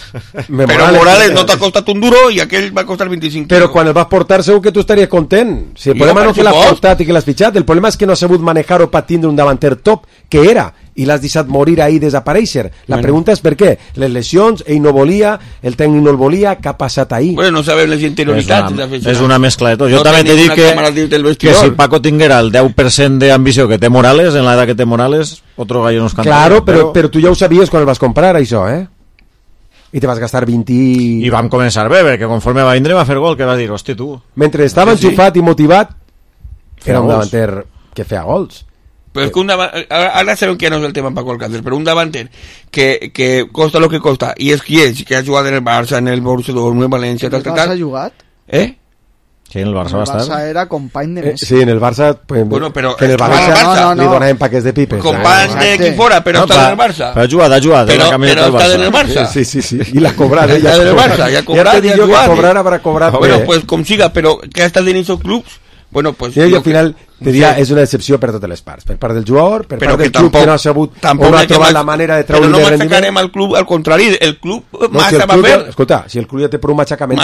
Però Morales no t'ha costat un duro i aquell va costar 25. Però quan el vas portar segur que tu estaries content. Si el problema no és que l'has portat i que l'has fitxat, el problema és que no has sabut manejar-ho per tindre un davanter top, que era, i l'has deixat morir ahí i desaparèixer. La pregunta és per què. Les lesions, ell no volia, el tècnic no el volia, què ha passat ahí? Bueno, no sabem les interioritats. És una mescla de tot. Jo també t'he dit que si Paco tinguera el 10% d'ambició que té Morales, en l'edat que té Morales, otro gallo nos canta. Claro, però tu ja ho sabies quan el vas comprar, això, I te vas gastar 20... I vam començar bé, perquè conforme va vindre va fer gol, que va dir, hosti, tu. Mentre estava enxufat i motivat, era un davanter que feia gols. Pero es que ahora sabemos que no es el tema Paco Alcácer, pero un davanter que costa lo que costa, y es que ha jugado en el Barça, en el Borussia Dortmund, en València, tal. ¿El Barça ha jugat? Sí, en el Barça va estar. El Barça era company de Messi. Sí, en el Barça... Bueno, però... En el Barça li donaven paquets de pipes. Company de qui fora, però està en el Barça. Però ha jugat. Però està en el Barça. Sí. I l'ha cobrat. Ja en el Barça, ja ha cobrat. Ja te dic jo que cobrar habrà cobrat. Bueno, pues com siga, però que ha estat en aquests clubs... Bueno, pues i al final te diria, és una decepció per totes les parts, per part del jugador, per part del club que no ha sabut o no ha trobat la manera de treure-li de rendiment. Però no machacarem al club, al contrari, el club massa va fer. Escolta, si el club ja té per un matxacament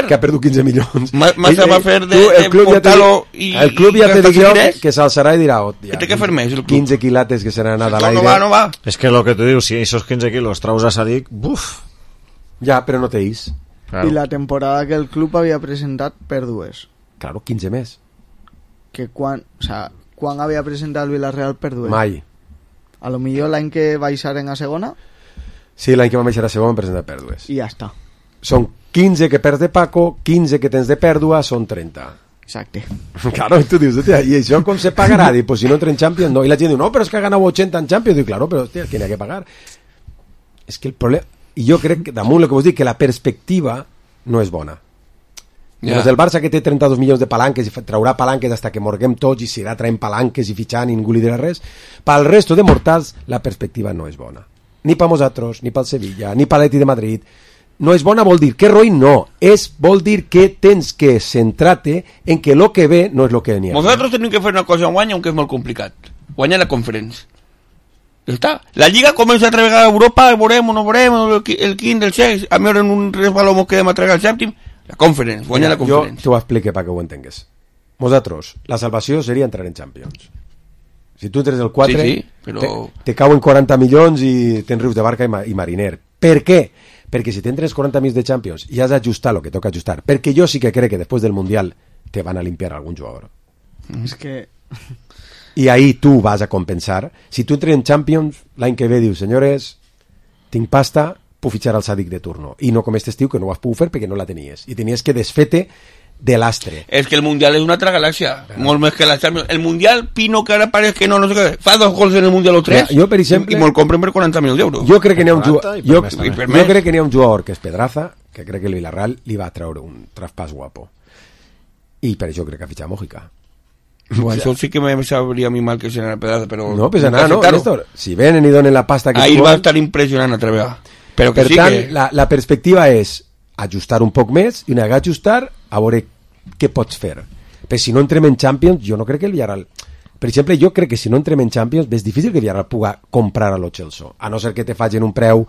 que ha perdut 15 milions. Massa va fer de portar-lo i... El club ja te dic jo que s'alçarà i dirà, té que fer més el club. 15 quilates que seran a l'aire. No va. És que el que tu dius, si esos 15 quilos traus a Sadik, buf. Ja, però no teis. I la temporada que el club havia presentat pèrdues. Claro, 15 més. Que quan havia presentat el Villarreal perdut? Mai. A lo millor l'any que baixaren a segona? Sí, l'any que vam baixar a segona hem presentat pèrdues. I ja està. Són 15 que perds de Paco, 15 que tens de pèrdua, són 30. Exacte. Claro, tu dius, hòstia, i això com se pagarà? Dic, pues si no entra en Champions, no. I la gent diu, no, però és que ha ganat 80 en Champions. Dic, claro, però hòstia, que n'hi ha que pagar. És que el problema... I jo crec que, damunt el que vos dic, que la perspectiva no és bona. Yeah. El Barça que té 32 milions de palanques i traurà palanques hasta que morguem tots i seguirà traient palanques i fitxant i ningú li dirà res, pel resto de mortals la perspectiva no és bona. Ni per nosaltres, ni pel Sevilla, ni per l'Atlètic de Madrid. No és bona vol dir que Roy no, vol dir que tens que centrar-te en que lo que ve no és lo que n'hi ha. Nosaltres tenim que fer una cosa en guany, aunque és molt complicat. Guanyar la Conference. Està. La Lliga comença a treballar a Europa, veurem o no veurem, el quint, el sex, a veure en un resbaló mos quedem a tregar el sèptim, la Conference, guanyar la Conference. Jo t'ho explico perquè ho entengues. Nosaltres, la salvació seria entrar en Champions. Si tu entres el 4, sí, però... te cauen 40 milions i tens rius de barca i mariner. Per què? Perquè si t'entres 40 milions de Champions i has d'ajustar el que toca ajustar, perquè jo sí que crec que després del Mundial te van a limpiar algun jugador. És que... I ahí tu vas a compensar. Si tu entres en Champions, l'any que ve dius, senyores, tinc pasta, puc fitxar al Sadik de turno. I no com este estiu, que no ho has pogut fer perquè no la tenies. I tenies que desfer-te de l'astre. És que el Mundial és una altra galàxia, molt més que la Champions. El Mundial, Pino, que ara pareix que no sé què, fa 2 gols en el Mundial o 3, jo, per exemple, i me'l compren per 40.000 euros. Jo crec que n'hi ha un jugador que és Pedraza, que crec que el Villarreal li va treure un traspàs guapo. I per això crec que ha fitxat Mojica. Bueno, això sí que me sabria a mi mal que se n'anà Pedraza, però... No, pues nada, no, Néstor. Si venen i donen la pasta que... Ahir va estar impressionant a treballar. Però que per sí tant, que... la perspectiva és ajustar un poc més i una vegada ajustar a veure què pots fer. Però si no entrem en Champions, jo no crec que el Villarreal... Per exemple, jo crec que si no entrem en Champions és difícil que el Villarreal pugui comprar a lo Chelsea, a no ser que te facin un preu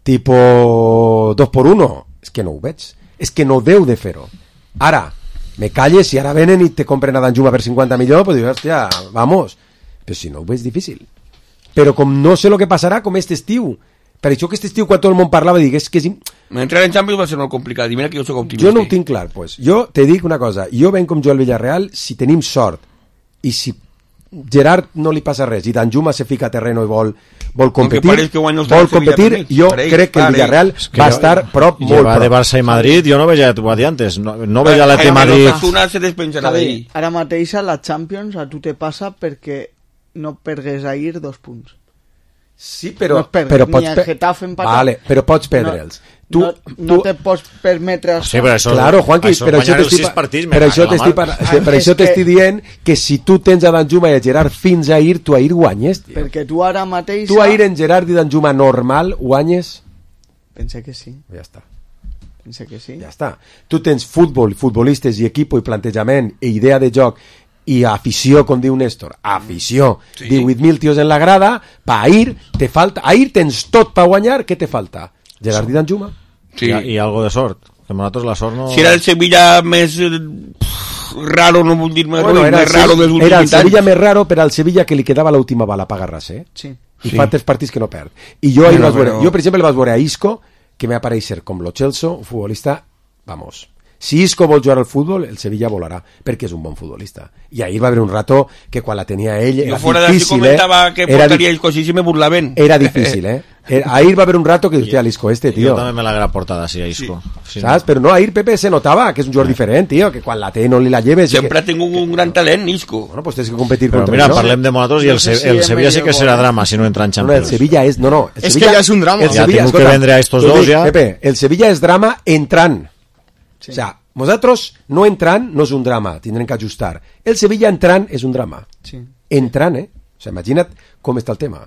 tipo 2x1. És que no ho veig. És que no deu de fer-ho. Ara, me calles, si ara venen i te compren a Danjuma per 50 milions, pues dius, hòstia, vamos. Però si no ho veig difícil. Però com no sé el que passarà com este estiu. Per això que este estiu, quan tot el món parlava, digués que... Entrar en Champions va ser molt complicat, i mira que jo soc optimista. Jo no ho tinc clar, pues. Jo te dic una cosa, jo venc com jo al Villarreal, si tenim sort, i si Gerard no li passa res, i Danjuma se fica a terreno i vol competir, jo crec que el Villarreal va estar prop, molt prop. De Barça i Madrid, jo no veia, t'ho va dir antes, no veia la de Madrid. Ara mateix a la Champions a tu te passa perquè no pergues ahir 2 punts. Sí, però pots vale, però pots perdre'ls. No te pots permetre... Sí, però això... Claro, Juanqui, per això t'estic dient que si tu tens a Danjuma i a Gerard fins ahir, tu ahir guanyes, tio. Perquè tu ara mateix... Tu ahir en Gerard i Danjuma normal guanyes? Pensa que sí. Ja està. Pensa que sí. Ja està. Tu tens futbol, futbolistes i equip i plantejament i idea de joc i afició, com diu Néstor, afició, sí. 18.000 tios en la grada, pa ahir te falta, ahir tens tot pa guanyar, què te falta? Gerard i Danjuma? Sí. I algo de sort, que nosaltres la sort no... Si era el Sevilla més raro, no vull dir més, bueno, més raro dels últims anys. Era el Sevilla més raro, però al Sevilla que li quedava l'última bala per agarrar-se, Sí. I fa 3 partits que no perd. I jo ahir jo per exemple vaig veure a Isco, que me va aparèixer com lo Chelsea, un futbolista, vamos... Si Isco vol jugar al futbol, el Sevilla volarà, perquè és un bon futbolista. I ahir va haver un rato que quan la tenia ell era difícil, comentava que portaria Isco, si me burlaven. Era difícil, ahir va haver un rato que hòstia, l'Isco este, tio. Jo també me l'haguera portada així a Isco. Sí. Saps? Però no, ahir Pepe se notava que és un jugador diferent, tio, que quan la té no li la lleves... Sempre ha tingut un gran talent, Isco. Bueno, pues tens que competir contra ell, no? Parlem de nosaltres i el Sevilla sí que serà drama si no entra en Champions. El Sevilla és... No, és que ja és un drama. Ja tinc que vendre a estos dos, ja. Pepe, el Sevilla és drama entrant. O sea, nosaltres no entrant no és un drama, tindrem que ajustar. El Sevilla entrant és un drama. Sí. Entrant, O sea, imagina't com està el tema.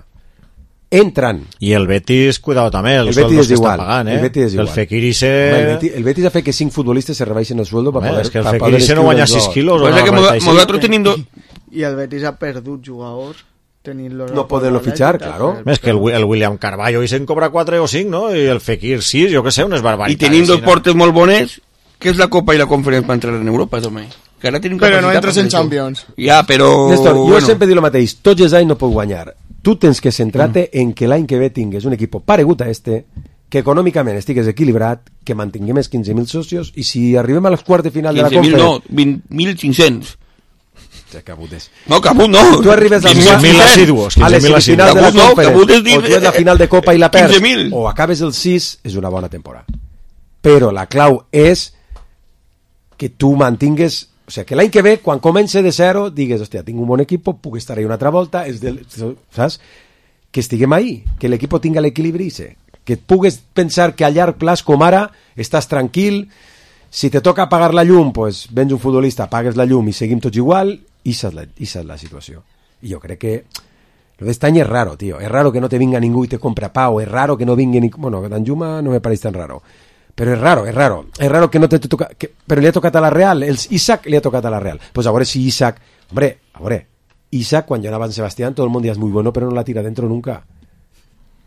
Entrant. I el Betis, cuidado també, el Betis és igual. Pagant, El Betis és igual. El Fekirisse... El Betis ha fet que 5 futbolistes se rebaixen el sueldo para poder... És que el Fekirisse no guanya 6 quilos. I el Betis ha perdut jugadors no poder-lo fitxar, claro. És que el William Carballo i se'n cobra 4 o 5, no? I el Fekir 6, jo que sé, unes barbaritats. I tenint 2 portes molt bones, què és la Copa i la Conferència per entrar en Europa, també? Però no entres en Champions. Ja, però... Néstor, jo sempre dic el mateix, tots els anys no pots guanyar. Tu tens que centrar-te en que l'any que ve tingues un equip paregut a este, que econòmicament estigues equilibrat, que mantinguem els 15.000 socios, i si arribem a les quarts de final de la Conferència... 15.000 no, 20.500. No, Cabut no. Tu arribes a les semifinals de la Conferència, o tu és la final de Copa i la perds, o acabes el 6, és una bona temporada. Però la clau és que tu mantingues O sigui, que l'any que ve, quan comenci de zero, digues, hòstia, tinc un bon equip, puc estar ahí una altra volta, saps? Que estiguem ahí, que l'equip tinga l'equilibri, que pugues pensar que a llarg plaç, com ara, estàs tranquil, si te toca apagar la llum, pues vens un futbolista, apagues la llum i seguim tots igual, i és la situació. I jo crec que lo d'este any és raro, tío. És raro que no te vinga ningú i te compra Pau, és raro que no vingui ningú... Bueno, Danjuma no me pareix tan raro. Però és raro. És raro que no te toca... Però li ha tocat a la Real. Isaac li ha tocat a la Real. Pues a veure si Isaac... Hombre, a veure, Isaac, quan llegava en Sebastián, todo el mundo es muy bueno, pero no la tira dentro nunca.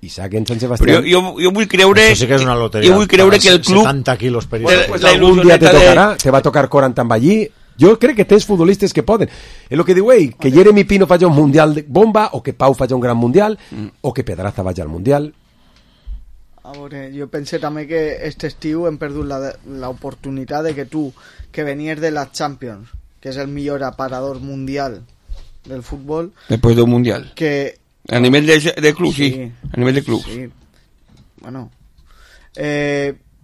Isaac en Sant Sebastián... Però jo vull creure... Això sí que és una loteria. Jo vull creure que el club... 70 quilos per bueno, pues algun dia te tocarà, te va tocar 40 amb allí. Jo crec que tens futbolistes que poden. És el que diu ell, que Jeremy Pino faci un mundial de bomba, o que Pau faci un gran mundial, o que Pedraza vagi al mundial. A veure, jo pense també que este estiu hem perdut l'oportunitat de que tu, que venies de la Champions, que és el millor aparador mundial del futbol... Després d'un mundial. Que... A nivell de club, sí. A nivell de club. Sí. Bueno.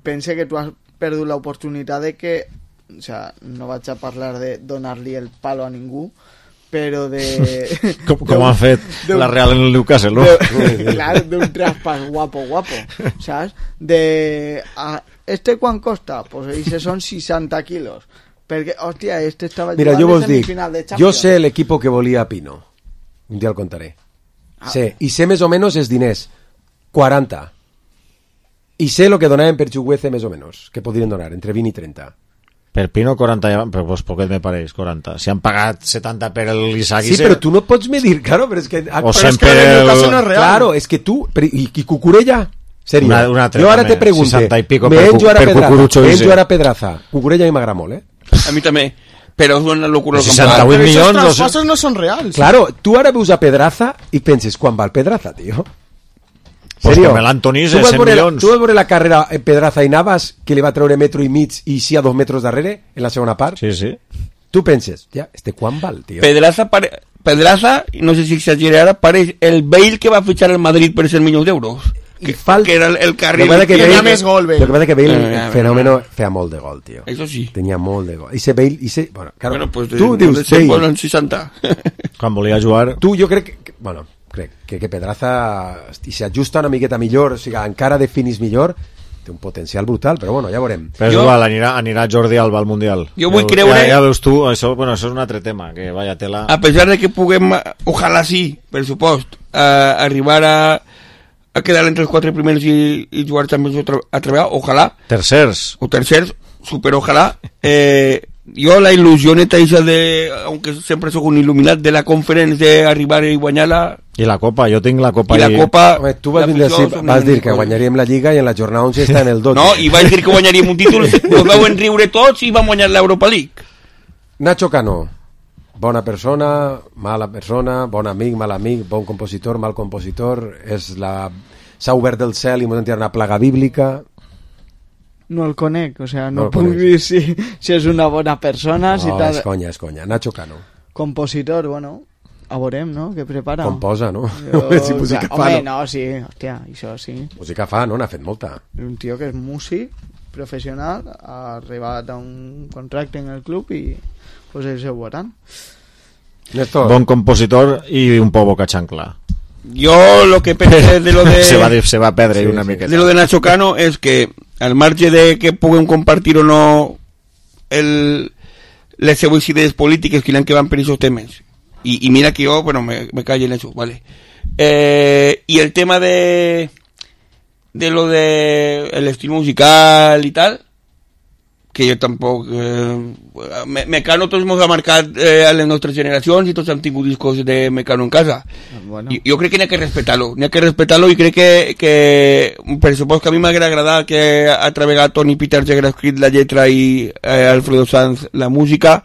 Pense que tu has perdut l'oportunitat de que... O sea, no vaig a parlar de donar-li el palo a ningú, però de... com ha fet la Real en el Newcastle, no? Clar, d'un traspàs guapo, saps? Este quan costa? Pues ese son 60 quilos. Perquè, hòstia, este estava Mira, jo vos dic, semifinal de Champions. Jo sé l'equip que volia Pino. Un dia el contaré. Sé, i sé més o menys els diners. 40. I sé el que donaven per Chukwueze més o menys, que podrien donar, entre 20 i 30. Per Pino 40, però pues poquet me pareix, 40. Si han pagat 70 per l'Isaac... Sí, però tu no pots medir, claro, però és que... O sempre el caso no és real. Claro, és que tu... I Cucurella... Serio, una jo ara te pregunto, me enjo ara Pedraza. Cucurella a mi m'agrada molt, A mi també, però és una locura. 68 milions... Los traspasos no són reals. Claro, tu ara veus a Pedraza i penses, quan va el Pedraza, tío? Pues com l'Antonís és 100 milions. Tu vas veure la carrera en Pedraza i Navas, que li va treure metro i mig i sí a 2 metres darrere, en la segona part? Sí, sí. Tu penses, ja, quan val, tío? Pedraza, no sé si exagera ara, pareix el Bale que va fitxar el Madrid per 100 milions d'euros. Que era el carril que tenia més gol, Bale. Lo que pasa que Bale fenómeno feia molt de gol, tío. Eso sí. Tenia molt de gol. I Bale, bueno, claro, bueno, pues tu dius Bale en 60. Quan volia jugar... Tu, jo crec que, bueno, crec que Pedraza, si s'ajusta una miqueta millor, o sigui, encara definis millor, té un potencial brutal, però bueno, ja veurem. Però és igual, anirà Jordi Alba al Mundial. Jo vull creure... Ja veus tu, això és un altre tema, que vaya tela... A pesar de que puguem, ojalà sí, per supost, arribar a quedar entre els 4 primers i jugar també a treballar, ojalà. Tercers. O tercers, super ojalà. Jo la il·lusió neta de, aunque sempre soc un il·luminat, de la conferència d'arribar i guanyar-la. I la Copa, jo tinc la Copa. I la Copa... Home, tu vas dir que guanyaríem la Lliga i en la jornada 11 està en el 12. No, i vaig dir que guanyaríem un títol, ho veuen riure tots i vam guanyar l'Europa League. Nacho Cano, bona persona, mala persona, bon amic, mal amic, bon compositor, mal compositor, s'ha obert del cel i m'ho sentit una plaga bíblica. No el conec, o sea, no puc dir si és una bona persona. No, si tal... és conya, Nacho Cano. Compositor, bueno, a veurem, no? Què prepara? Composa, no? Si música fa, home, no, sí, hòstia, això sí. Música fa, no? N'ha fet molta. Un tio que és músic, professional, ha arribat a un contracte en el club i pues ells ho veuran. Bon compositor i un poc boca xancla. Jo lo que pensé de lo de... se va perdre una miqueta. De lo de Nacho Cano és que al marge de que puguem compartir o no les seues idees polítiques que van per aquests temes, i mira que jo, bueno, me callo en eso, vale. Y el tema de lo de el estilo musical y tal, que jo tampoc Mecano tots ens ha marcat a les nostres generacions i tots hem tingut discos de Mecano en casa. Bueno. Jo crec que n'hi ha que respectar-lo i crec que per supost que a mi m'haguera agradat que a través Toni Peters haguera escrit la lletra i Alfredo Sanz la música.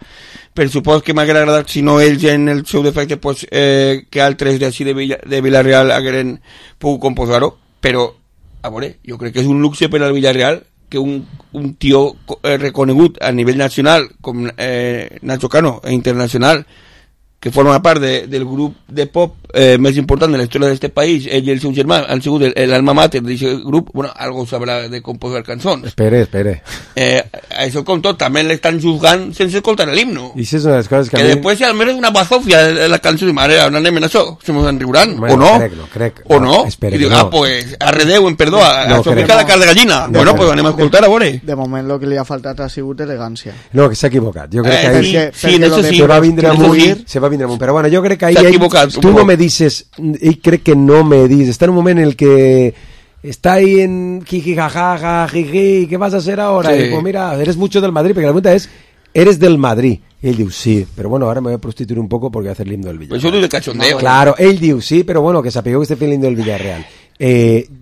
Per supost que m'haguera agradat, si no ells en el seu defecte, pues, que altres d'ací de Villarreal hagueren pogut composar-ho, però a veure, jo crec que és un luxe per al Villarreal que un tio reconegut a nivell nacional com Nacho Cano e internacional que forma part del grup de pop més important de la història d'aquest país, ell i el seu germà han sigut l'alma mater d'aquest grup, bueno, algo sabrà de composar cançons. Espere. Això com tot, també l'estan juzgant sense escoltar l'himno. I això és una de les coses que després, almenys, una bazofia de la cançó, mare, on anem en això? Se mos en riuran, o no? Crec. O no? Espera, I diu, pues, arredeu, en perdó, això pica la cara de gallina. Bueno, pues anem a escoltar, a veure. De moment, el que li ha faltat ha sigut elegància. No, que s'ha equivocat. Jo crec que ahí se va vindre amunt, però bueno, jo crec que ahí tú no me dices, y creo que no me dices, está en un momento en el que está ahí en jiji, jajaja, jiji, ¿qué vas a hacer ahora? Sí. Y pues mira, eres mucho del Madrid, porque la pregunta es, ¿eres del Madrid? Y él dice, sí, pero bueno, ahora me voy a prostituir un poco porque voy a hacer el himno del Villarreal. Pues eso es de cachondeo. Claro, él dice, sí, pero bueno, que se apegó que esté el himno del Villarreal.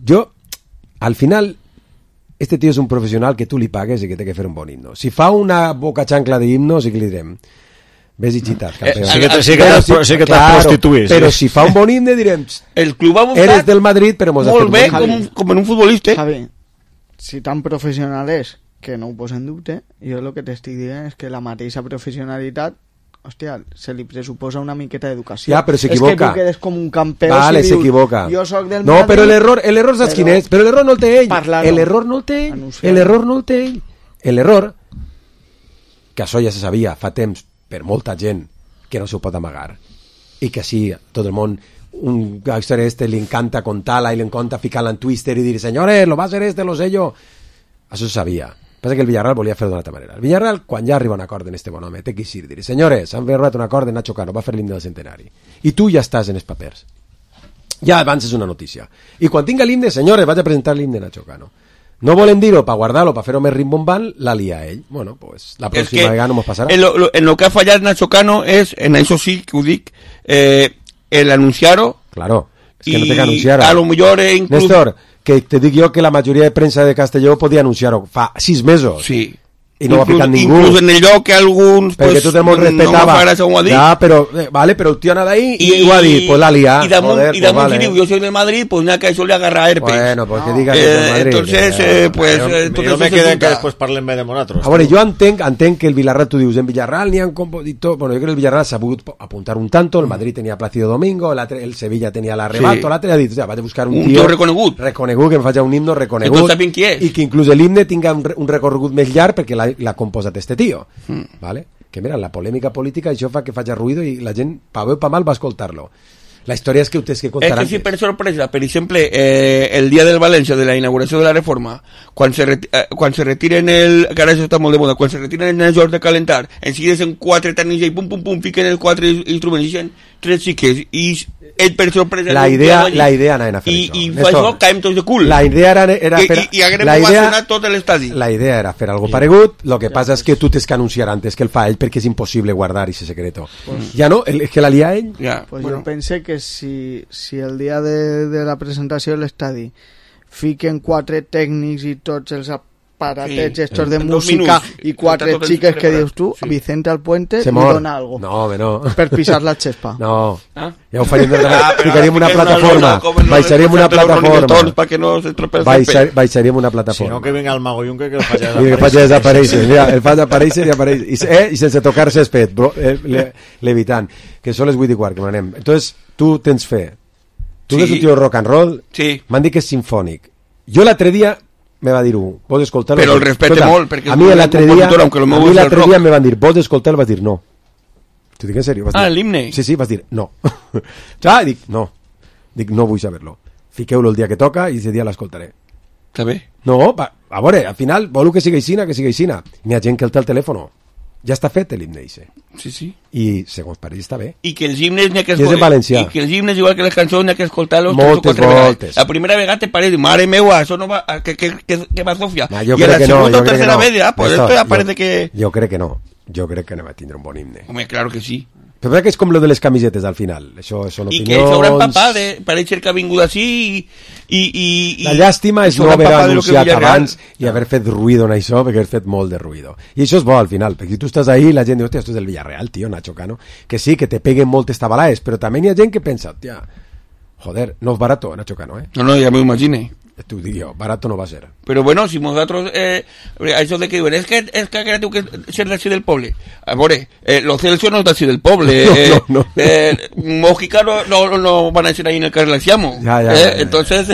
Yo, al final, este tío es un profesional que tú le pagues y que te que hacer un bon himno. Si fa una boca chancla de himno, sí que le direm, ves i xitat, campeón. Sí que t'has prostituït. Però si fa un bon himne direm, el club ha buscat eres del Madrid, però mos ha fet molt bé com en un futbolista. Javi, si tan professional és que no ho posa en dubte, jo el que t'estic dient és que la mateixa professionalitat, hòstia, se li pressuposa una miqueta d'educació. Ja, però s'equivoca. És que tu quedes com un campió vale, si dius, s'equivoca. jo soc del no, Madrid... però l'error saps quin és? Però l'error no el té ell. L'error no el té ell. L'error no el té ell. L'error, que això ja se sabia fa temps per molta gent, que no s'ho pot amagar i que sí, tot el món un gangster li encanta contar-la i li encanta ficar-la en Twitter i dir senyores, lo va a ser lo sé yo, això se sabia. Passa que el Villarreal volia fer-ho d'una altra manera. El Villarreal, quan ja arriba a un acord en este bon home, té que eixir, dir senyores, han arribat un acord de Nacho Cano, va fer l'himne del centenari i tu ja estàs en els papers, ja avances una notícia i quan tinga l'himne, senyores, vaig a presentar l'himne de Nacho Cano. No volen dir-ho per guardar-lo, per fer-ho més rimbombant, la lia ell. Bueno, pues la pròxima vegada no mos passarà. En lo que ha fallat Nacho Cano és, en això sí que ho dic, el anunciar-ho. Claro, es que no té que anunciar-ho. A lo millor inclús... Néstor, que te dic jo que la majoria de premsa de Castelló podia anunciar-ho fa 6 mesos. Sí. I no ho ha ficat ningú. Inclús en el lloc que alguns perquè pues, tot el món respetava. No ja, però, vale, però el tio anava ahí i ho ha dit, pues la lia. I damunt, si diu, jo soy del Madrid, pues nada, que això le agarra herpes. Bueno, pues que diga que és del Madrid. Entonces, pues... Jo me queda que després parlem bé de nosaltres. A veure, jo entenc que el Villarreal, tu dius, en Villarreal n'hi ha compositor... Bueno, jo crec que el Villarreal s'ha pogut apuntar un tanto, el Madrid tenia Plácido Domingo, el Sevilla tenia l'Arrebato, l'altre ha dit, ja, vaig a buscar un tio reconegut, que em faci un himno reconegut, i que inclús l'himne tinga un recorregut més llarg perquè l'ha composat este tío, ¿vale? Que mira, la polèmica política això fa que faci ruïdo i la gent, pa bé o pa mal, va escoltar-lo. La història és que ustedes que contaran... És que sí, per sorpresa, per exemple, el dia del València, de la inauguració de la reforma, quan se retiren que ara això està molt de moda, quan se retiren els jocs de calentar, en seguida en 4 tècnics i pum, pum, pum, fiquen els 4 instruments, i 3 xiques, i ell per sorpresa... La idea anaven a fer això. I fa això, caem tots de cul. La idea era fer... I haguem ovacionat tot l'estadi. La idea era fer algo paregut, lo que passa és que tu tens que anunciar antes que el fa ell, perquè és impossible guardar ese secreto. Ja no, és que la lia ell... Pues jo pense que si el dia de la presentació de l'estadi fiquen 4 tècnics i tots els aparatets estos de música i 4 xiques que dius tu, Vicente Alpuente li dona algo per pisar la xespa. No, ja ho faríem, ficaríem una plataforma, baixaríem una plataforma, baixaríem una plataforma. Si no, que venga el Mago Junque que el faci desaparèixer. Mira, el fa desaparèixer i sense tocar césped, levitant, que són les 8:15 que m'anem. Entonces, tu tens fe. Tu que és un tio rock and roll, m'han dit que és sinfònic. Jo l'altre dia me va dir vols escoltar-lo? Però el respecte molt, perquè a mi l'altre dia me van dir, vols escoltar-lo? Vas dir no. T'ho dic en sèrio. l'himne? Sí, vas dir no. Ja, dic no. Dic no vull saber-lo. Fiqueu-lo el dia que toca i ese dia l'escoltaré. Està bé? No, a veure, al final vol que sigui aixina. N'hi ha gent que el té al telèfon. Ja està fet l'himne ixe. Sí. I segons pareix està bé. I que els himnes n'hi ha que escoltar. I que els himnes, igual que les cançons, n'hi ha que escoltar-los moltes voltes. La primera vegada te pareix, mare meua, això no va, que va Sofia. I a la segunda o tercera vez, pues esto ya parece que... Jo crec que no. Jo crec que no va tindre un bon himne. Home, claro que sí. Però que és com lo de les camisetes al final. Això són opinions... I que s'haurà empapat de pareixer que ha vingut així i... La llàstima és no haver anunciat abans i haver fet ruïdo en això, perquè has fet molt de ruïdo. I això és bo al final, perquè si tu estàs ahí la gent diu, hòstia, esto és del Villarreal, tio, Nacho Cano. Que sí, que te peguen moltes tabalaes, però també hi ha gent que pensa, hòstia, joder, no és barato, Nacho Cano, No, ja m'ho imagine. T'ho dic jo, barato no va a ser. Pero bueno, si nosotros, eso de que diuen, es que tú que ser d'ací del poble. A veure, los Celsius no es d'ací del poble. No. Mójica no van a ser ahí en el carrer Lanciamo. Ya. Entonces,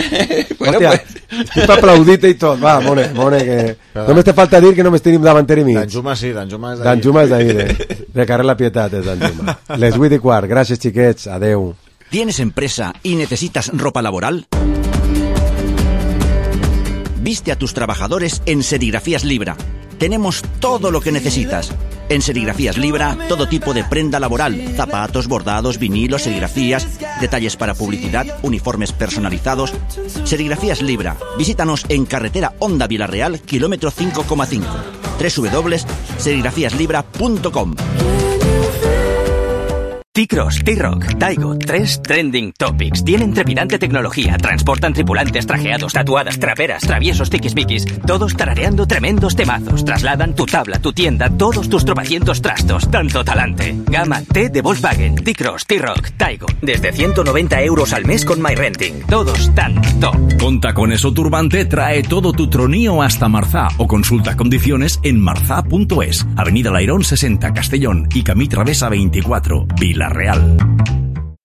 bueno, hòstia, pues... estic aplaudit i tot. Va, Mone, que... Només te falta dir que només tenim davanteri mig. Danjuma sí, Danjuma és d'ahir. Danjuma és d'ahir, de carrer La Pietat és Danjuma. Les 8:15, gràcies xiquets, adeu. ¿Tienes empresa y necesitas ropa laboral? Viste a tus trabajadores en Serigrafías Libra. Tenemos todo lo que necesitas. En Serigrafías Libra, todo tipo de prenda laboral, zapatos, bordados, vinilos, serigrafías, detalles para publicidad, uniformes personalizados. Serigrafías Libra. Visítanos en carretera Honda Vilarreal, kilómetro 5,5. www.serigrafiaslibra.com. T-Cross, T-Rock, Taigo, 3 trending topics. Tienen trepidante tecnología, transportan tripulantes trajeados, tatuadas, traperas, traviesos, tiquismiquis, todos tarareando tremendos temazos. Trasladan tu tabla, tu tienda, todos tus tropecientos trastos, tanto talante. Gama T de Volkswagen, T-Cross, T-Rock, Taigo. Desde 190 € al mes con MyRenting. Todos tan top. Conta con eso Turbante, trae todo tu tronío hasta Marzá o consulta condiciones en marzá.es. Avenida Lairón 60, Castellón y Camí Travesa 24, Vilarreal.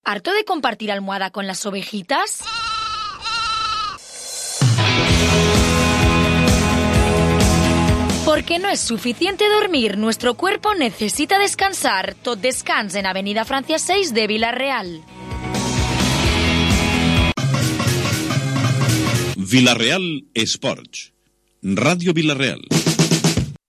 ¿Harto de compartir almohada con las ovejitas? Porque no es suficiente dormir, nuestro cuerpo necesita descansar. Tot descans en Avenida Francia 6 de Vilarreal. Vilarreal Esports. Ràdio Vilarreal.